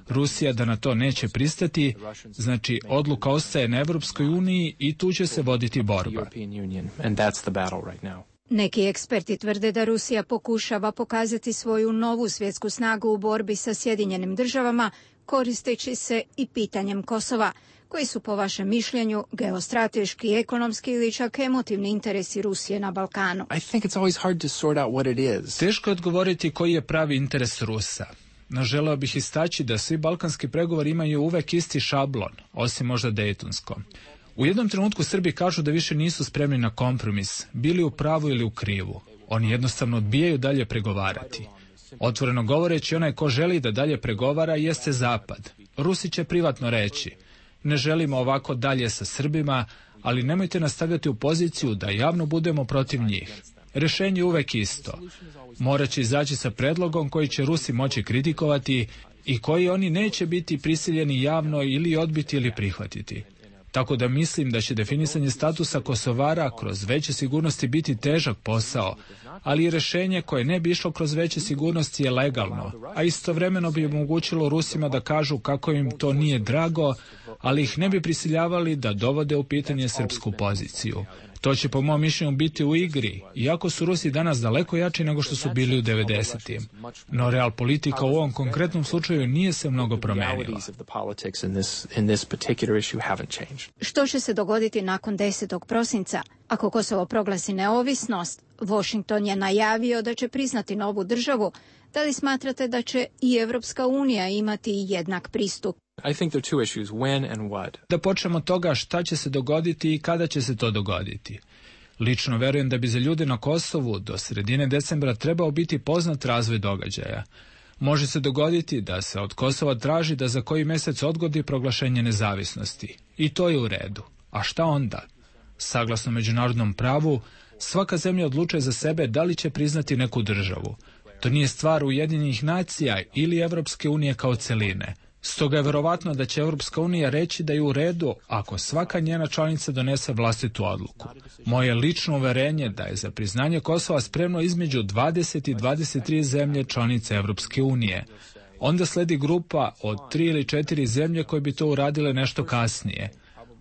Rusija da na to neće pristati, znači odluka ostaje na Evropskoj uniji i tu će se voditi borba. Neki eksperti tvrde da Rusija pokušava pokazati svoju novu svjetsku snagu u borbi sa Sjedinjenim državama, koristeći se i pitanjem Kosova. Koji su po vašem mišljenju geostrateški, ekonomski ili čak emotivni interesi Rusije na Balkanu? I think it's always hard to sort out what it is. Teško je odgovoriti koji je pravi interes Rusa. No želeo bih istaći da svi balkanski pregovori imaju uvek isti šablon, osim možda dejtonskom. U jednom trenutku Srbi kažu da više nisu spremni na kompromis, bili u pravu ili u krivu. Oni jednostavno odbijaju dalje pregovarati. Otvoreno govoreći, onaj ko želi da dalje pregovara jeste Zapad. Rusi će privatno reći: ne želimo ovako dalje sa Srbima, ali nemojte nas stavljati u poziciju da javno budemo protiv njih. Rešenje je uvek isto. Morat će izaći sa predlogom koji će Rusi moći kritikovati i koji oni neće biti prisiljeni javno ili odbiti ili prihvatiti. Tako da mislim da će definisanje statusa Kosovara kroz veće sigurnosti biti težak posao, ali i rešenje koje ne bi išlo kroz veće sigurnosti je legalno, a istovremeno bi omogućilo Rusima da kažu kako im to nije drago, ali ih ne bi prisiljavali da dovode u pitanje srpsku poziciju. To će po mom mišljenju biti u igri, iako su Rusi danas daleko jači nego što su bili u devedesetim. No real politika u ovom konkretnom slučaju nije se mnogo promenila. Što će se dogoditi nakon desetog prosinca? Ako Kosovo proglasi neovisnost, Washington je najavio da će priznati novu državu. Da li smatrate da će i Evropska unija imati jednak pristup? I think there are two issues, when and what. Da počnemo od toga šta će se dogoditi i kada će se to dogoditi. Lično verujem da bi za ljude na Kosovu do sredine decembra trebao biti poznat razvoj događaja. Može se dogoditi da se od Kosova traži da za koji mjesec odgodi proglašenje nezavisnosti. I to je u redu. A šta onda? Saglasno međunarodnom pravu, svaka zemlja odlučuje za sebe da li će priznati neku državu. To nije stvar Ujedinjenih nacija ili Evropske unije kao celine. Stoga je verovatno da će Evropska unija reći da je u redu ako svaka njena članica donese vlastitu odluku. Moje lično uverenje da je za priznanje Kosova spremno između dvadeset i dvadeset tri zemlje članice Evropske unije. Onda sledi grupa od tri ili četiri zemlje koje bi to uradile nešto kasnije.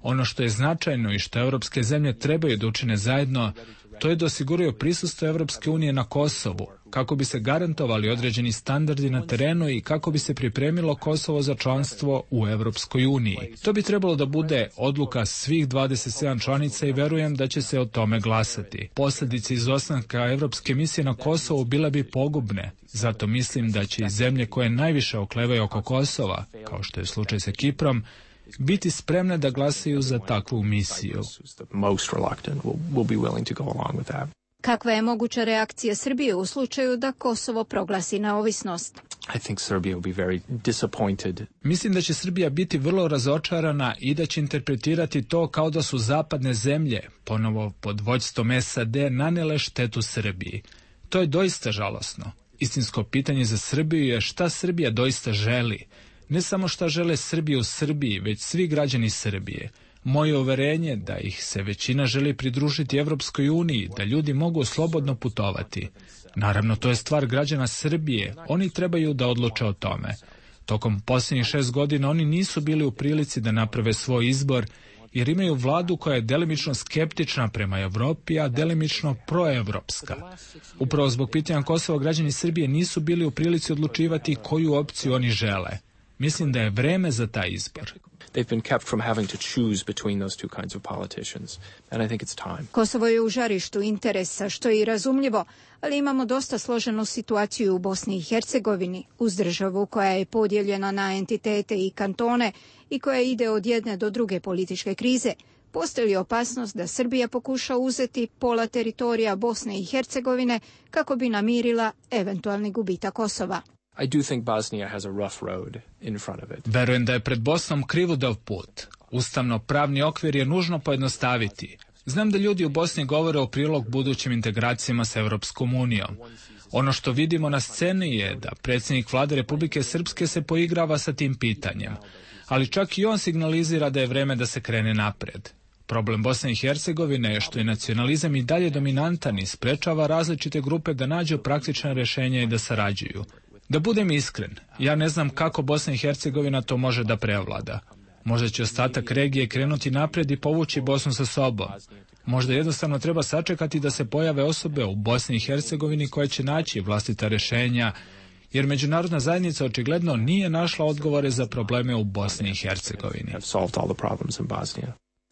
Ono što je značajno i što evropske zemlje trebaju da učine zajedno, to je da osiguraju prisustvo Evropske unije na Kosovu, kako bi se garantovali određeni standardi na terenu i kako bi se pripremilo Kosovo za članstvo u Evropskoj uniji. To bi trebalo da bude odluka svih dvadeset sedam članica i verujem da će se o tome glasati. Posljedice izostanka Evropske misije na Kosovu bile bi pogubne, zato mislim da će i zemlje koje najviše oklevaju oko Kosova, kao što je slučaj sa Kiprom, biti spremne da glasaju za takvu misiju. Kakva je moguća reakcija Srbije u slučaju da Kosovo proglasi neovisnost? I think Serbia will be very disappointed. Mislim da će Srbija biti vrlo razočarana i da će interpretirati to kao da su zapadne zemlje, ponovo pod vođstvom S A D, nanele štetu Srbiji. To je doista žalosno. Istinsko pitanje za Srbiju je šta Srbija doista želi. Ne samo šta žele Srbi u Srbiji, već svi građani Srbije. Moje uverenje da ih se većina želi pridružiti Evropskoj uniji, da ljudi mogu slobodno putovati. Naravno, to je stvar građana Srbije, oni trebaju da odluče o tome. Tokom posljednjih šest godina oni nisu bili u prilici da naprave svoj izbor, jer imaju vladu koja je delimično skeptična prema Evropi, a delimično proevropska. Upravo zbog pitanja Kosova građani Srbije nisu bili u prilici odlučivati koju opciju oni žele. Mislim da je vreme za taj izbor. They've been kept from having to choose between those two kinds of politicians, and I think it's time. Kosovo je u žarištu interesa, što je i razumljivo, ali imamo dosta složenu situaciju u Bosni i Hercegovini, uz državu koja je podijeljena na entitete i kantone i koja ide od jedne do druge političke krize. Postoji li opasnost da Srbija pokuša uzeti pola teritorija Bosne i Hercegovine kako bi namirila eventualni gubitak Kosova? I do think Bosnia has a rough road in front of it. Verujem da je pred Bosnom krivudav put. Ustavno-pravni okvir je nužno pojednostaviti. Znam da ljudi u Bosni govore o prilog budućim integracijama s Evropskom unijom. Ono što vidimo na sceni je da predsjednik vlade Republike Srpske se poigrava sa tim pitanjem. Ali čak i on signalizira da je vreme da se krene napred. Problem Bosne i Hercegovine je što je nacionalizam i dalje dominantan i sprečava različite grupe da nađu praktična rješenja i da sarađuju. Da budem iskren, ja ne znam kako Bosna i Hercegovina to može da prevlada. Možda će ostatak regije krenuti napred i povući Bosnu sa sobom. Možda jednostavno treba sačekati da se pojave osobe u Bosni i Hercegovini koje će naći vlastita rješenja, jer međunarodna zajednica očigledno nije našla odgovore za probleme u Bosni i Hercegovini.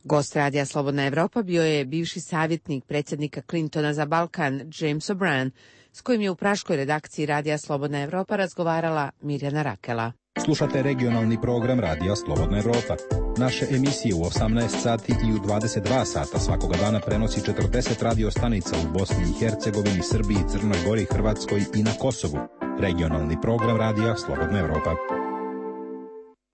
Gost radija Slobodna Evropa bio je bivši savjetnik predsjednika Clintona za Balkan, James O'Brien, s kojim je u praškoj redakciji radija Slobodna Evropa razgovarala Mirjana Rakela. Slušate regionalni program radija Slobodna Evropa. Naše emisije u osamnaest sati i u dvadeset dva sata svakoga dana prenosi četrdeset radio stanica u Bosni i Hercegovini, Srbiji, Crnoj Gori, Hrvatskoj i na Kosovu. Regionalni program radija Slobodna Evropa.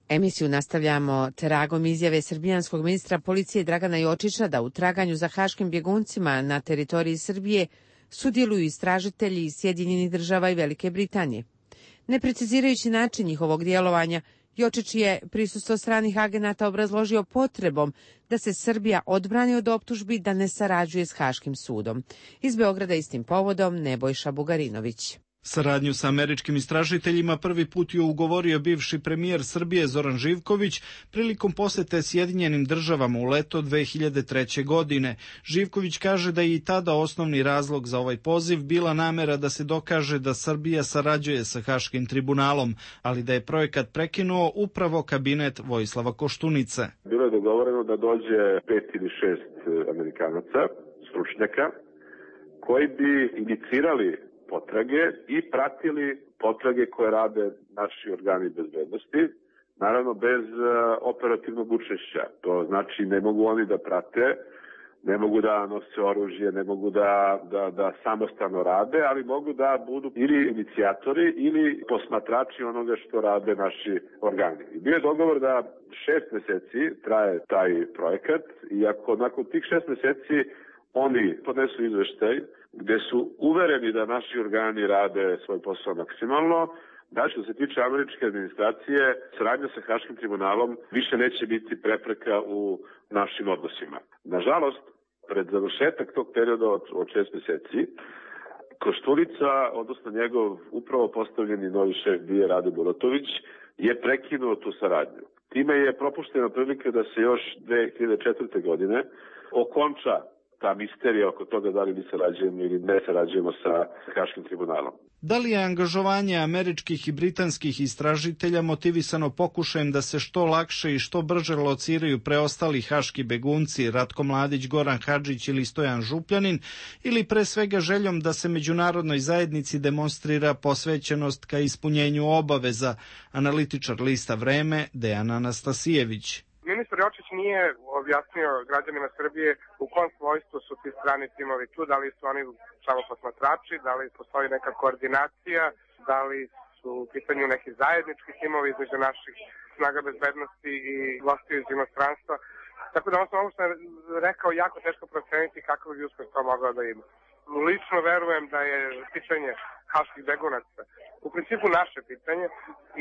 Emisiju nastavljamo tragom izjave srbijanskog ministra policije Dragana Jočića da u traganju za haškim bjeguncima na teritoriji Srbije sudjeluju istražitelji iz Sjedinjenih država i Velike Britanije. Ne precizirajući način njihovog djelovanja, Jočić je prisustvo stranih agenata obrazložio potrebom da se Srbija odbrani od optužbi da ne sarađuje s Haškim sudom. Iz Beograda istim povodom Nebojša Bugarinović. Saradnju sa američkim istražiteljima prvi put je ugovorio bivši premijer Srbije Zoran Živković prilikom posete Sjedinjenim državama u leto dve hiljade treće. godine. Živković kaže da je i tada osnovni razlog za ovaj poziv bila namera da se dokaže da Srbija sarađuje sa Haškim tribunalom, ali da je projekat prekinuo upravo kabinet Vojislava Koštunice. Bilo je dogovoreno da dođe pet ili šest Amerikanaca, stručnjaka, koji bi inicirali potrage i pratili potrage koje rade naši organi bezbednosti, naravno bez operativnog učešća. To znači ne mogu oni da prate, ne mogu da nose oružje, ne mogu da, da, da samostalno rade, ali mogu da budu ili inicijatori ili posmatrači onoga što rade naši organi. I bio je dogovor da šest meseci traje taj projekat i ako nakon tih šest meseci oni podnesu izveštaj gde su uvereni da naši organi rade svoj posao maksimalno, da što se tiče američke administracije, saradnja sa Haškim tribunalom više neće biti prepreka u našim odnosima. Nažalost, pred završetak tog perioda od, od šest meseci, Koštunica, odnosno njegov upravo postavljeni novi šef B I A Rade Bulatović, je prekinuo tu saradnju. Time je propuštena prilika da se još dve hiljade četvrte. godine okonča ta misterija oko toga da li mi sarađujemo ili ne sarađujemo sa Haškim tribunalom. Da li je angažovanje američkih i britanskih istražitelja motivisano pokušajem da se što lakše i što brže lociraju preostali haški begunci Ratko Mladić, Goran Hadžić ili Stojan Župljanin, ili pre svega željom da se međunarodnoj zajednici demonstrira posvećenost ka ispunjenju obaveza, analitičar lista Vreme Dejan Anastasijević. Ministar Jočić nije objasnio građanima Srbije u kom svojstvu su ti strani timovi tu, da li su oni samo posmatrači, da li postoji neka koordinacija, da li su u pitanju neki zajednički timovi između naših snaga bezbednosti i gostiju iz inostranstva. Tako da on sam ovo što je rekao jako teško proceniti kakav bi uspeh to mogao da ima. Lično verujem da je pitanje haških begunaca u principu naše pitanje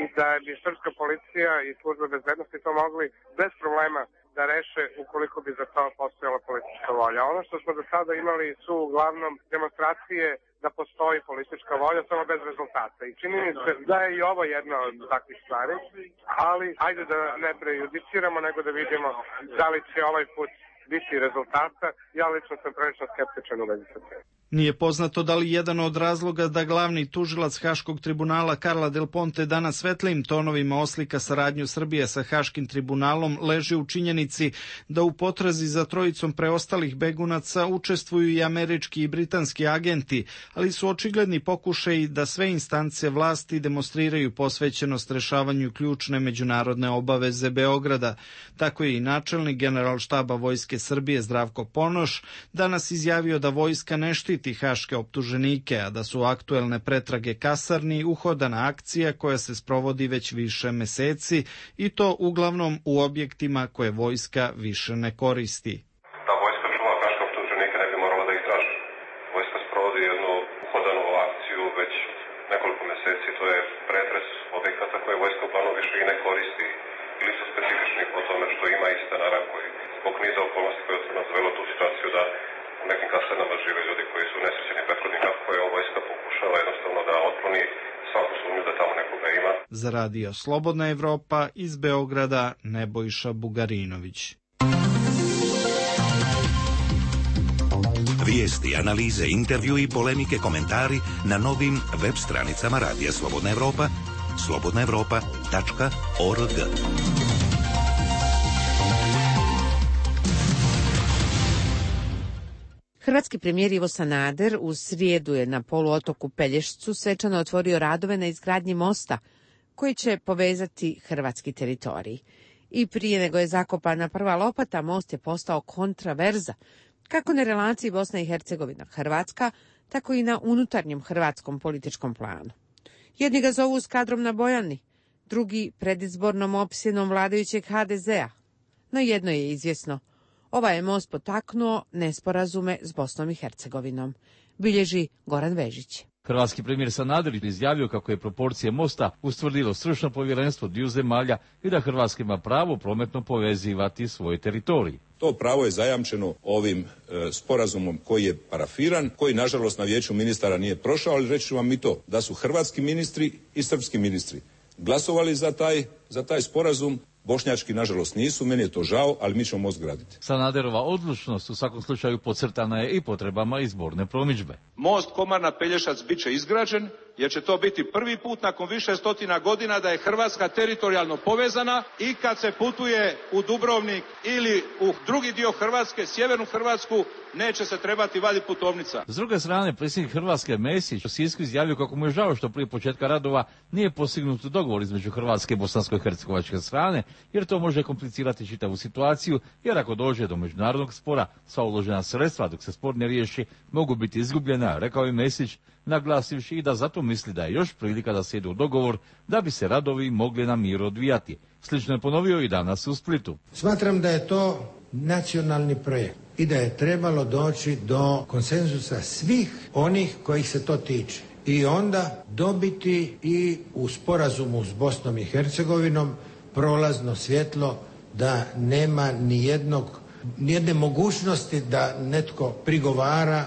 i da bi srpska policija i službe bezbednosti to mogli bez problema da reše ukoliko bi za to postojala politička volja. Ono što smo do sada imali su uglavnom demonstracije da postoji politička volja, samo bez rezultata. I čini mi se da je i ovo jedna od takvih stvari, ali ajde da ne prejudiciramo, nego da vidimo da li će ovaj put biti rezultata. Ja lično sam prilično skeptičan u vezi sa tim. Nije poznato da li jedan od razloga da glavni tužilac Haškog tribunala Karla Del Ponte danas svetlijim tonovima oslika saradnju Srbije sa Haškim tribunalom leži u činjenici da u potrazi za trojicom preostalih begunaca učestvuju i američki i britanski agenti, ali su očigledni pokušaji da sve instance vlasti demonstriraju posvećenost rešavanju ključne međunarodne obaveze Beograda. Tako je i načelnik Generalštaba Vojske Srbije Zdravko Ponoš danas izjavio da vojska ne štiti haške optuženike, a da su aktuelne pretrage kasarni uhodana akcija koja se sprovodi već više meseci i to uglavnom u objektima koje vojska više ne koristi. Da vojska čuva haške optuženike ne bi morala da ih traži. Vojska sprovodi jednu uhodanu akciju već nekoliko meseci, to je pretres objekata koje vojska uglavnom više i ne koristi ili su specifični po tome što ima istanara koji zbog niza okolnosti koje su nas dovelo tu situaciju da u nekim kasarnama žive ljudi koji su nesrećeni prethodni kako je ova vojska pokušava jednostavno da otkloni svaku sumnju da tamo nekoga ima. Za radio Slobodna Evropa iz Beograda Nebojša Bugarinović. Vijesti, analize, intervju i polemike, komentari na novim web stranicama Radija Slobodna Evropa, slobodna evropa tačka org. Hrvatski premijer Ivo Sanader u srijedu je na poluotoku Pelješcu svečano otvorio radove na izgradnji mosta koji će povezati hrvatski teritorij. I prije nego je zakopana prva lopata, most je postao kontraverza, kako na relaciji Bosna i Hercegovina Hrvatska, tako i na unutarnjem hrvatskom političkom planu. Jedni ga zovu skadrom na Bojani, drugi predizbornom opsjenom vladajućeg ha de zea. No jedno je izvjesno. Ovaj je most potaknuo nesporazume s Bosnom i Hercegovinom, bilježi Goran Vežić. Hrvatski premijer Sanader izjavio kako je proporcije mosta ustvrdilo stručno povjerenstvo dviju zemalja i da Hrvatska ima pravo prometno povezivati svoj teritorij. To pravo je zajamčeno ovim e, sporazumom koji je parafiran, koji nažalost na vijeću ministara nije prošao, ali reći ću vam i to, da su hrvatski ministri i srpski ministri glasovali za taj, za taj sporazum. Bošnjački, nažalost, nisu, meni je to žao, ali mi ćemo most graditi. Sanaderova odlučnost u svakom slučaju podcrtana je i potrebama izborne promidžbe. Most Komarna-Pelješac bit će izgrađen, jer će to biti prvi put nakon više stotina godina da je Hrvatska teritorijalno povezana i kad se putuje u Dubrovnik ili u drugi dio Hrvatske, sjevernu Hrvatsku, neće se trebati vaditi putovnica. S druge strane, predsjednik Hrvatske Mesić u Sisku izjavio kako mu je žao što prije početka radova nije postignut dogovor između Hrvatske i bosansko-hercegovačke strane, jer to može komplicirati čitavu situaciju, jer ako dođe do međunarodnog spora, sva uložena sredstva dok se spor ne riješi mogu biti izgubljena, rekao je Mesić, naglasivši i da zato misli da je još prilika da se ide u dogovor da bi se radovi mogli na miru odvijati. Slično je ponovio i danas u Splitu. Smatram da je to nacionalni projekt i da je trebalo doći do konsenzusa svih onih kojih se to tiče i onda dobiti i u sporazumu s Bosnom i Hercegovinom prolazno svjetlo da nema ni jednog, ni jedne mogućnosti da netko prigovara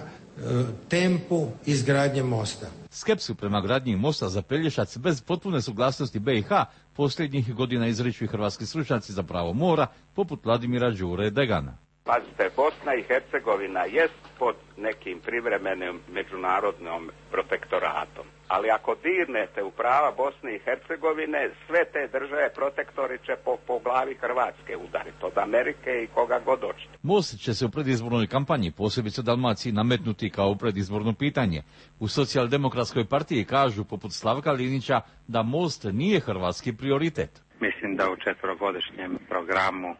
tempu izgradnje mosta. Skepsu prema gradnji mosta za Pelješac bez potpune suglasnosti B i H posljednjih godina izriču i hrvatski stručnjaci za pravo mora, poput Vladimira Đure Degana. Pazite, Bosna i Hercegovina jest pod nekim privremenim međunarodnom protektoratom. Ali ako dirnete u prava Bosne i Hercegovine, sve te države protektori će po, po glavi Hrvatske udariti, od Amerike i koga god hoćete. Most će se u predizbornoj kampanji, posebice Dalmaciji, nametnuti kao predizborno pitanje. U Socijaldemokratskoj partiji kažu, poput Slavka Linića, da most nije hrvatski prioritet. Mislim da u četverogodišnjem programu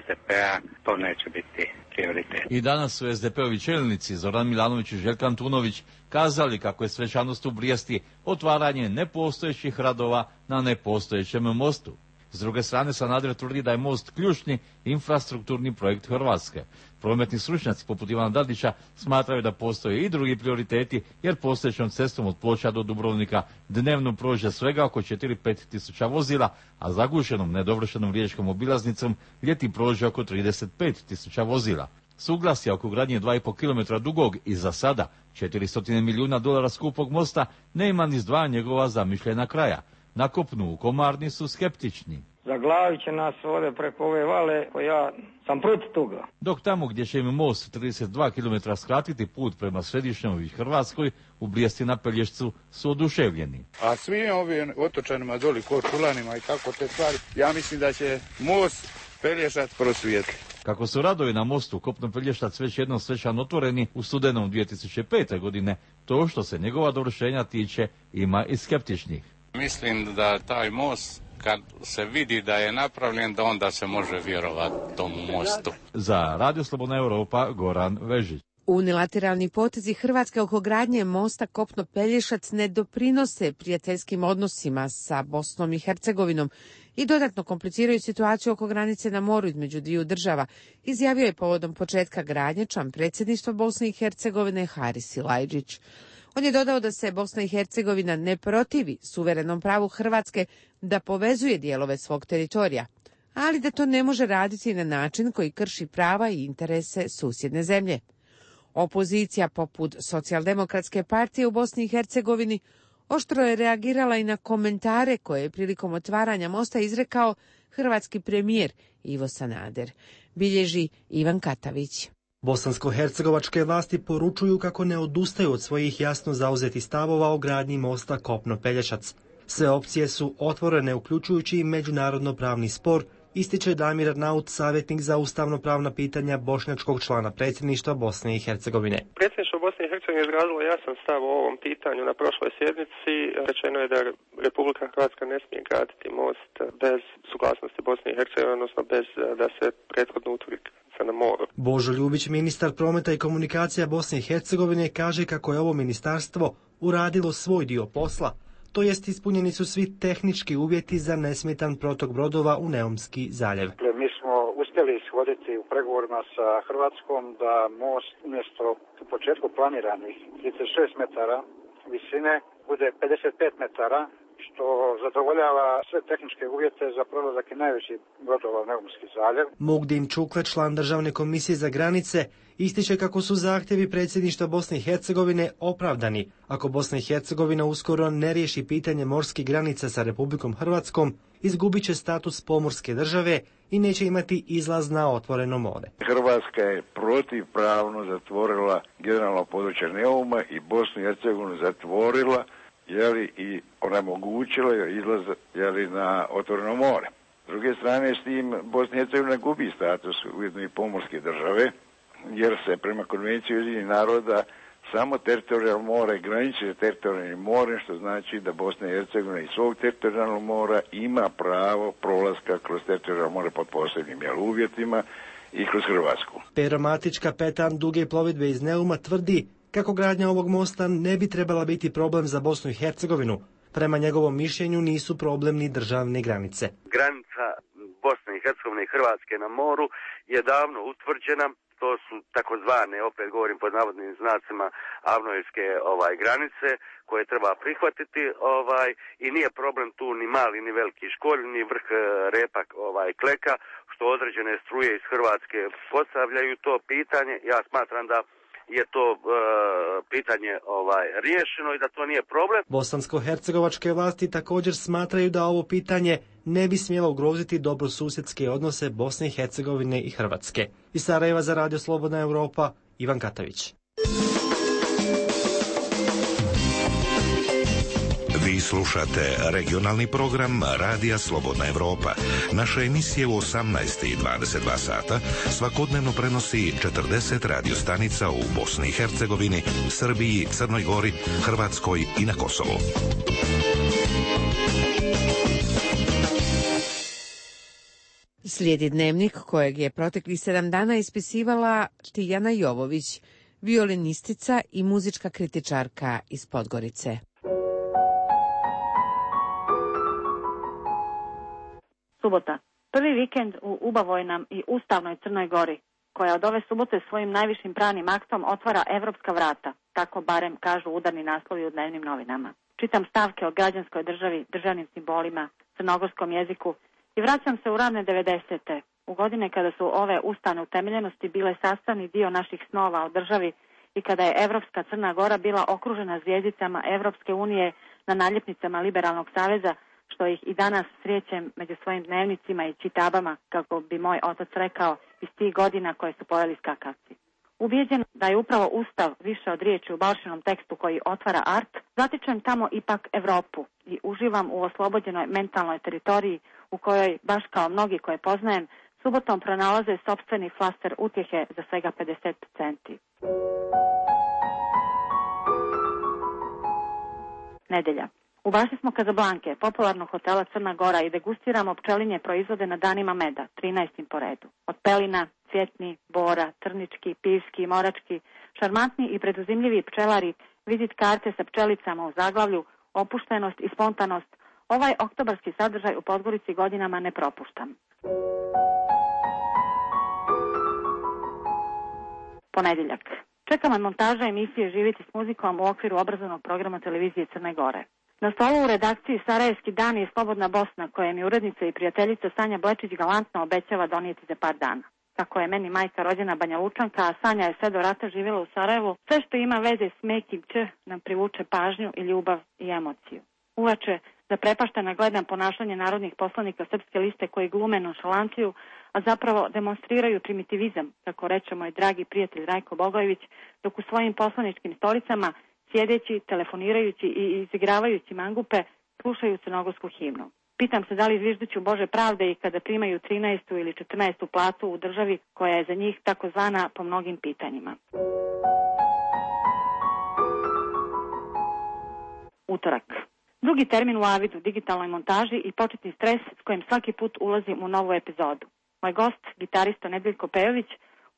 S D P-a to neće biti prioritet. I danas su S D P-ovi čelnici Zoran Milanović i Željko Antunović kazali kako je svečanost u Brijesti otvaranje nepostojećih radova na nepostojećem mostu. S druge strane, Sanader tvrdi da je most ključni infrastrukturni projekt Hrvatske. Prometni stručnjaci poput Ivana Dadića smatraju da postoje i drugi prioriteti, jer postojećom cestom od Ploča do Dubrovnika dnevno prođe svega oko četiri do pet tisuća vozila, a zagušenom nedovršenom riječkom obilaznicom ljeti prođe oko trideset pet tisuća vozila. Suglasja oko gradnje dva i pol kilometra dugog i za sada četiristo milijuna dolara skupog mosta nema ni s dva njegova zamišljena kraja. Na kopnu u Komarni su skeptični. Zaglavit će nas ovdje preko ove vale, pa ja sam protiv toga. Dok tamo gdje će im most trideset dva kilometra skratiti put prema središnjoj Hrvatskoj, u Brijesti na Pelješcu su oduševljeni. A svim ovim otočanima doli, Korčulanima i tako te stvari, ja mislim da će most Pelješac prosvijetli. Kako su radovi na mostu kopno Pelješac već jednom svečano otvoreni u studenom dvije tisuće pete. godine, to što se njegova dovršenja tiče ima i skeptičnih. Mislim da taj most, kad se vidi da je napravljen, da onda se može vjerovati tomu mostu. Za Radio Slobodna Europa, Goran Vežić. Unilateralni potezi Hrvatske oko gradnje mosta kopno Pelješac ne doprinose prijateljskim odnosima sa Bosnom i Hercegovinom i dodatno kompliciraju situaciju oko granice na moru između dviju država, izjavio je povodom početka gradnje član predsjedništva Bosne i Hercegovine Haris Silajdžić. On je dodao da se Bosna i Hercegovina ne protivi suverenom pravu Hrvatske da povezuje dijelove svog teritorija, ali da to ne može raditi na način koji krši prava i interese susjedne zemlje. Opozicija poput Socijaldemokratske partije u Bosni i Hercegovini oštro je reagirala i na komentare koje je prilikom otvaranja mosta izrekao hrvatski premijer Ivo Sanader, bilježi Ivan Katavić. Bosansko-hercegovačke vlasti poručuju kako ne odustaju od svojih jasno zauzetih stavova o gradnji mosta kopno Pelješac. Sve opcije su otvorene, uključujući i međunarodno pravni spor, ističe Damir Arnaut, savjetnik za ustavno-pravna pitanja bošnjačkog člana predsjedništva Bosne i Hercegovine. Predsjedništvo Bosne i Hercegovine izrazilo jasan stav o ovom pitanju na prošloj sjednici. Rečeno je da Republika Hrvatska ne smije graditi most bez suglasnosti Bosne i Hercegovine, odnosno bez da se prethodno utvrdi na moru. Božo Ljubić, ministar prometa i komunikacija Bosne i Hercegovine, kaže kako je ovo ministarstvo uradilo svoj dio posla, to jest ispunjeni su svi tehnički uvjeti za nesmetan protok brodova u Neumski zaljev. Mi smo uspjeli ishoditi u pregovorima sa Hrvatskom da most umjesto u početku planiranih trideset šest metara visine bude pedeset pet metara što zadovoljava sve tehničke uvjete za prolazak i najveći brodova u Neumski zaljev. Mugdin Čukle, član Državne komisije za granice, ističe kako su zahtjevi predsjedništva Bosne i Hercegovine opravdani ako Bosna i Hercegovina uskoro ne riješi pitanje morskih granica sa Republikom Hrvatskom, izgubit će status pomorske države i neće imati izlaz na otvoreno more. Hrvatska je protivpravno zatvorila generalno područje Neuma i Bosnu i Hercegovinu zatvorila jeli, i onemogućila izlaz jeli, na otvoreno more. S druge strane, s tim Bosna i Hercegovina gubi status ujedno i pomorske države, jer se prema Konvenciji Ujedinjenih naroda samo teritorijalno more graniči teritorijalnim morem, što znači da Bosna i Hercegovina iz svog teritorijalnog mora ima pravo prolaska kroz teritorijalno more pod posebnim jel, uvjetima i kroz Hrvatsku. Pero Matić, kapetan duge plovidbe iz Neuma, tvrdi kako gradnja ovog mosta ne bi trebala biti problem za Bosnu i Hercegovinu. Prema njegovom mišljenju nisu problem ni državne granice. Granica Bosne i Hercegovine i Hrvatske na moru je davno utvrđena. To su takozvane, opet govorim pod navodnim znacima, avnojevske ovaj, granice koje treba prihvatiti ovaj, i nije problem tu ni mali ni veliki školj, ni vrh repa ovaj, kleka, što određene struje iz Hrvatske postavljaju to pitanje. Ja smatram da je to e, pitanje ovaj, riješeno i da to nije problem. Bosansko-hercegovačke vlasti također smatraju da ovo pitanje ne bi smjelo ugroziti dobrosusjedske odnose Bosne i Hercegovine i Hrvatske. Iz Sarajeva za Radio Slobodna Europa, Ivan Katavić. Vi slušate regionalni program Radija Slobodna Evropa. Naše emisije u osamnaest i dvadeset dva sata svakodnevno prenosi četrdeset radiostanica u Bosni i Hercegovini, Srbiji, Crnoj Gori, Hrvatskoj i na Kosovu. Slijedi dnevnik kojeg je proteklih sedam dana ispisivala Tijana Jovović, violinistica i muzička kritičarka iz Podgorice. Subota. Prvi vikend u ubavojnom i ustavnoj Crnoj Gori, koja od ove subote svojim najvišim pravnim aktom otvara evropska vrata, tako barem kažu udarni naslovi u dnevnim novinama. Čitam stavke o građanskoj državi, državnim simbolima, crnogorskom jeziku i vraćam se u rane devedesete, u godine kada su ove ustavne utemeljenosti bile sastavni dio naših snova o državi i kada je Evropska Crna Gora bila okružena zvijezdicama Evropske unije na naljepnicama Liberalnog saveza, što ih i danas srećem među svojim dnevnicima i čitabama, kako bi moj otac rekao, iz tih godina koje su pojeli skakavci. Ubijeđen da je upravo Ustav više od riječi u Balšinom tekstu koji otvara art, zatičem tamo ipak Evropu i uživam u oslobođenoj mentalnoj teritoriji u kojoj, baš kao mnogi koje poznajem, subotom pronalaze sopstveni flaster utjehe za svega pedeset centi. Nedelja. U bašti smo Kazablanke, popularnog hotela Crna Gora, i degustiramo pčelinje proizvode na danima meda, trinaestim po redu. Od pelina, cvjetni, bora, trnički, pivski, morački, šarmantni i preduzimljivi pčelari, vizit karte sa pčelicama u zaglavlju, opuštenost i spontanost, ovaj oktobarski sadržaj u Podgorici godinama ne propuštam. Ponedjeljak. Čekamo montaža emisije Živjeti s muzikom u okviru obrazovnog programa televizije Crne Gore. Na stolu u redakciji Sarajevski dan je Slobodna Bosna, koje mi urednica i prijateljica Sanja Blečić galantno obećava donijeti za par dana. Kako je meni majka rođena Banja Lučanka, a Sanja je sve do rata živjela u Sarajevu, sve što ima veze s mekim č nam privuče pažnju i ljubav i emociju. Uveče, zaprepaštena gledam ponašanje narodnih poslanika Srpske liste koji glume nonšalanciju, a zapravo demonstriraju primitivizam, kako reče moj dragi prijatelj Rajko Bogojević, dok u svojim poslaničkim stolicama, sjedeći, telefonirajući i izigravajući mangupe, slušaju crnogorsku himnu. Pitam se da li zvižduću Bože pravde i kada primaju trinaestu ili četrnaestu platu u državi koja je za njih takozvana po mnogim pitanjima. Utorak. Drugi termin u Avidu, digitalnoj montaži i početni stres s kojim svaki put ulazim u novu epizodu. Moj gost, gitarista Nedeljko Pejović,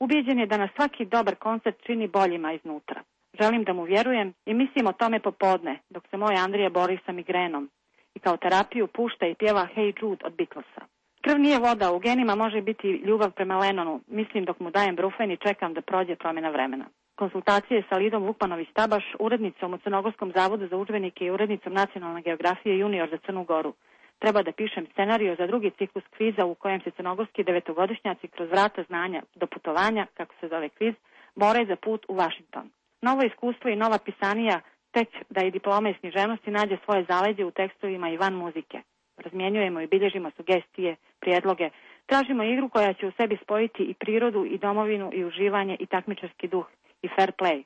ubijeđen je da nas svaki dobar koncert čini boljima iznutra. Želim da mu vjerujem i mislim o tome popodne, dok se moj Andrija bori sa migrenom i kao terapiju pušta i pjeva Hey Jude od Beatlesa. Krv nije voda, u genima može biti ljubav prema Lennonu, mislim dok mu dajem brufen i čekam da prođe promjena vremena. Konsultacije sa Lidom Vukmanović-Tabaš, urednicom u Crnogorskom zavodu za udžbenike i urednicom nacionalne geografije junior za Crnu Goru. Treba da pišem scenariju za drugi ciklus kviza u kojem se crnogorski devetogodišnjaci kroz vrata znanja do putovanja, kako se zove kviz, bore za put u Vašington. Novo iskustvo i nova pisanija tek da i diploma iz književnosti nađe svoje zaleđe u tekstovima i van muzike. Razmjenjujemo i bilježimo sugestije, prijedloge, tražimo igru koja će u sebi spojiti i prirodu i domovinu i uživanje i takmičarski duh i fair play,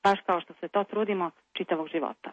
baš kao što se to trudimo čitavog života.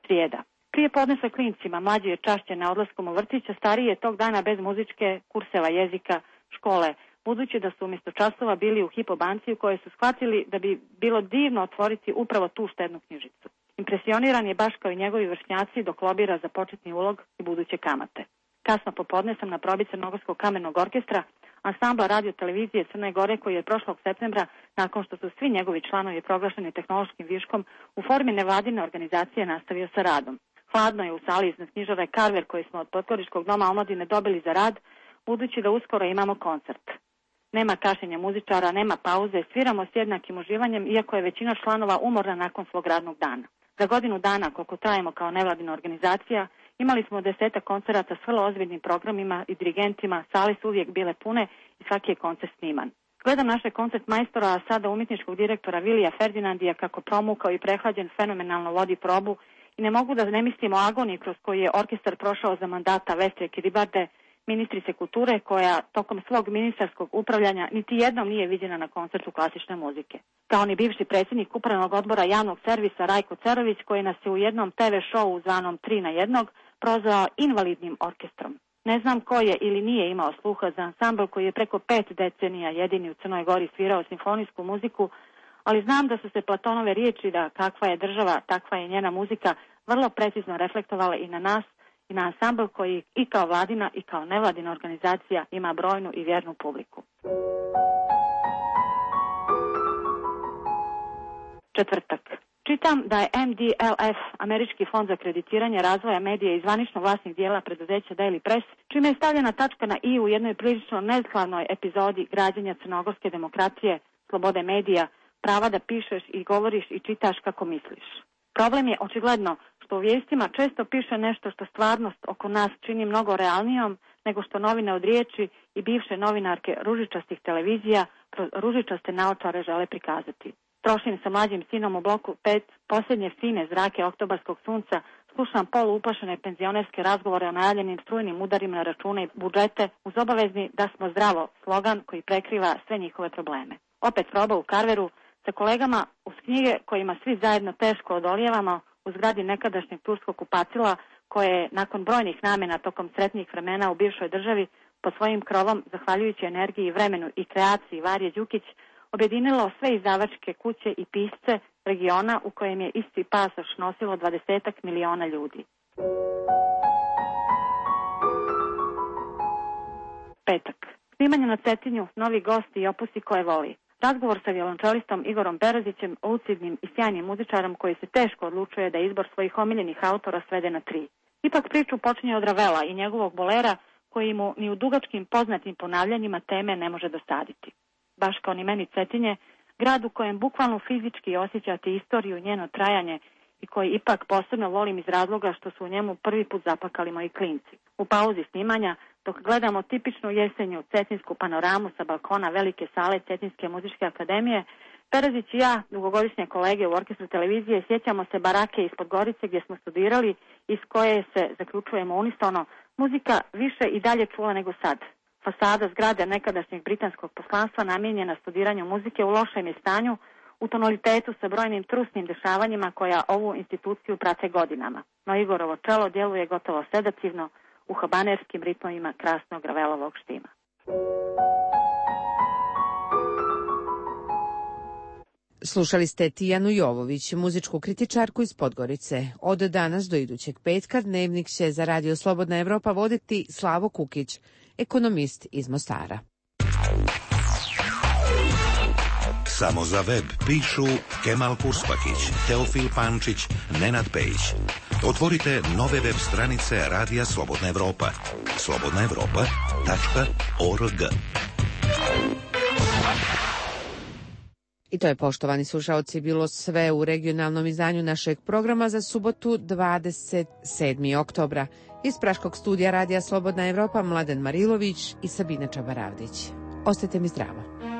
Srijeda. Prije podne sa klincima, mlađi je čašćen na odlaskom u vrtić, a stariji je tog dana bez muzičke, kurseva jezika, škole, budući da su umjesto časova bili u Hypo banci u kojoj su shvatili da bi bilo divno otvoriti upravo tu štednu knjižicu. Impresioniran je baš kao i njegovi vršnjaci dok lobira za početni ulog i buduće kamate. Kasno popodne sam na probi Crnogorskog kamenog orkestra, ansambla radio televizije Crne Gore koji je prošlog septembra, nakon što su svi njegovi članovi proglašeni tehnološkim viškom, u formi nevladine organizacije nastavio sa radom. Hladno je u sali iznad knjižare Carver koji smo od Podgoričkog doma omladine dobili za rad, budući da uskoro imamo koncert. Nema kašenja muzičara, nema pauze, sviramo s jednakim uživanjem, iako je većina članova umorna nakon svog radnog dana. Za godinu dana, koliko trajemo kao nevladina organizacija, imali smo desetak koncerata s vrlo ozbiljnim programima i dirigentima, sale su uvijek bile pune i svaki je koncert sniman. Gledam naše koncert majstora, a sada umjetničkog direktora Vilija Ferdinandija kako promukao i prehlađen fenomenalno vodi probu i ne mogu da ne mislim o agoniji kroz koju je orkestar prošao za mandata Vestre Kiribarde, ministrice kulture koja tokom svog ministarskog upravljanja niti jednom nije viđena na koncertu klasične muzike. Kao ni bivši predsjednik upravnog odbora javnog servisa Rajko Cerović koji nas je u jednom te ve šovu zvanom tri na jednog prozvao invalidnim orkestrom. Ne znam ko je ili nije imao sluha za ansambl koji je preko pet decenija jedini u Crnoj Gori svirao simfonijsku muziku, ali znam da su se Platonove riječi da kakva je država, takva je njena muzika vrlo precizno reflektovale i na nas i na ansambl koji i kao vladina i kao nevladina organizacija ima brojnu i vjernu publiku. Četvrtak. Čitam da je em de el ef, Američki fond za kreditiranje razvoja medija i zvanično vlasnik dijela preduzeća Daily Press, čime je stavljena tačka na i u jednoj prilično neskladnoj epizodi građenja crnogorske demokracije, slobode medija, prava da pišeš i govoriš i čitaš kako misliš. Problem je očigledno što u vijestima često piše nešto što stvarnost oko nas čini mnogo realnijom nego što novine od riječi i bivše novinarke ružičastih televizija kroz ružičaste naočare žele prikazati. Trošim sa mlađim sinom u bloku pet posljednje fine zrake oktobarskog sunca, slušam polu uplašene penzionerske razgovore o najavljenim strujnim udarima na račune i budžete uz obavezni da smo zdravo slogan koji prekriva sve njihove probleme. Opet proba u Carveru sa kolegama uz knjige kojima svi zajedno teško odolijevamo u zgradi nekadašnjeg turskog kupatila koje je nakon brojnih namjena tokom sretnijih vremena u bivšoj državi pod svojim krovom, zahvaljujući energiji, vremenu i kreaciji Varje Đukić, objedinilo sve izdavačke kuće i pisce regiona u kojem je isti pasoš nosilo dvadesetak miliona ljudi. Petak. Snimanje na Cetinju, novi gosti i opusi koje voli. Razgovor sa violončelistom Igorom Berezićem, lucidnim i sjajnim muzičarom koji se teško odlučuje da izbor svojih omiljenih autora svede na tri. Ipak priču počinje od Ravela i njegovog bolera koji mu ni u dugačkim poznatim ponavljanjima teme ne može dosaditi. Baš kao ni meni Cetinje, grad u kojem bukvalno fizički osjećate istoriju, njeno trajanje i koji ipak posebno volim iz razloga što su u njemu prvi put zapakali moji klinci. U pauzi snimanja, dok gledamo tipičnu jesenju cetinsku panoramu sa balkona velike sale Cetinske muzičke akademije, Perezić i ja, dugogodišnje kolege u orkestru televizije, sjećamo se barake ispod Gorice gdje smo studirali, iz koje se, zaključujemo unisono, muzika više i dalje čula nego sad. Fasada zgrade nekadašnjeg britanskog poslanstva namijenjena studiranju muzike u lošem je stanju, u tonalitetu sa brojnim trusnim dešavanjima koja ovu instituciju prate godinama. No Igorovo čelo djeluje gotovo sedativno u habanerskim ritmovima krasnog Ravelovog štima. Slušali ste Tijanu Jovović, muzičku kritičarku iz Podgorice. Od danas do idućeg petka dnevnik će za Radio Slobodna Evropa voditi Slavo Kukić, ekonomist iz Mostara. Samo za web pišu Kemal Kurspakić, Teofil Pančić, Nenad Pejić. Otvorite nove web stranice Radija Slobodna Evropa. slobodna evropa tačka org. I to je, poštovani slušaoci, bilo sve u regionalnom izdanju našeg programa za subotu dvadeset sedmog oktobra. Iz Praškog studija Radija Slobodna Evropa Mladen Marilović i Sabina Čabaravdić. Ostajte mi zdravo.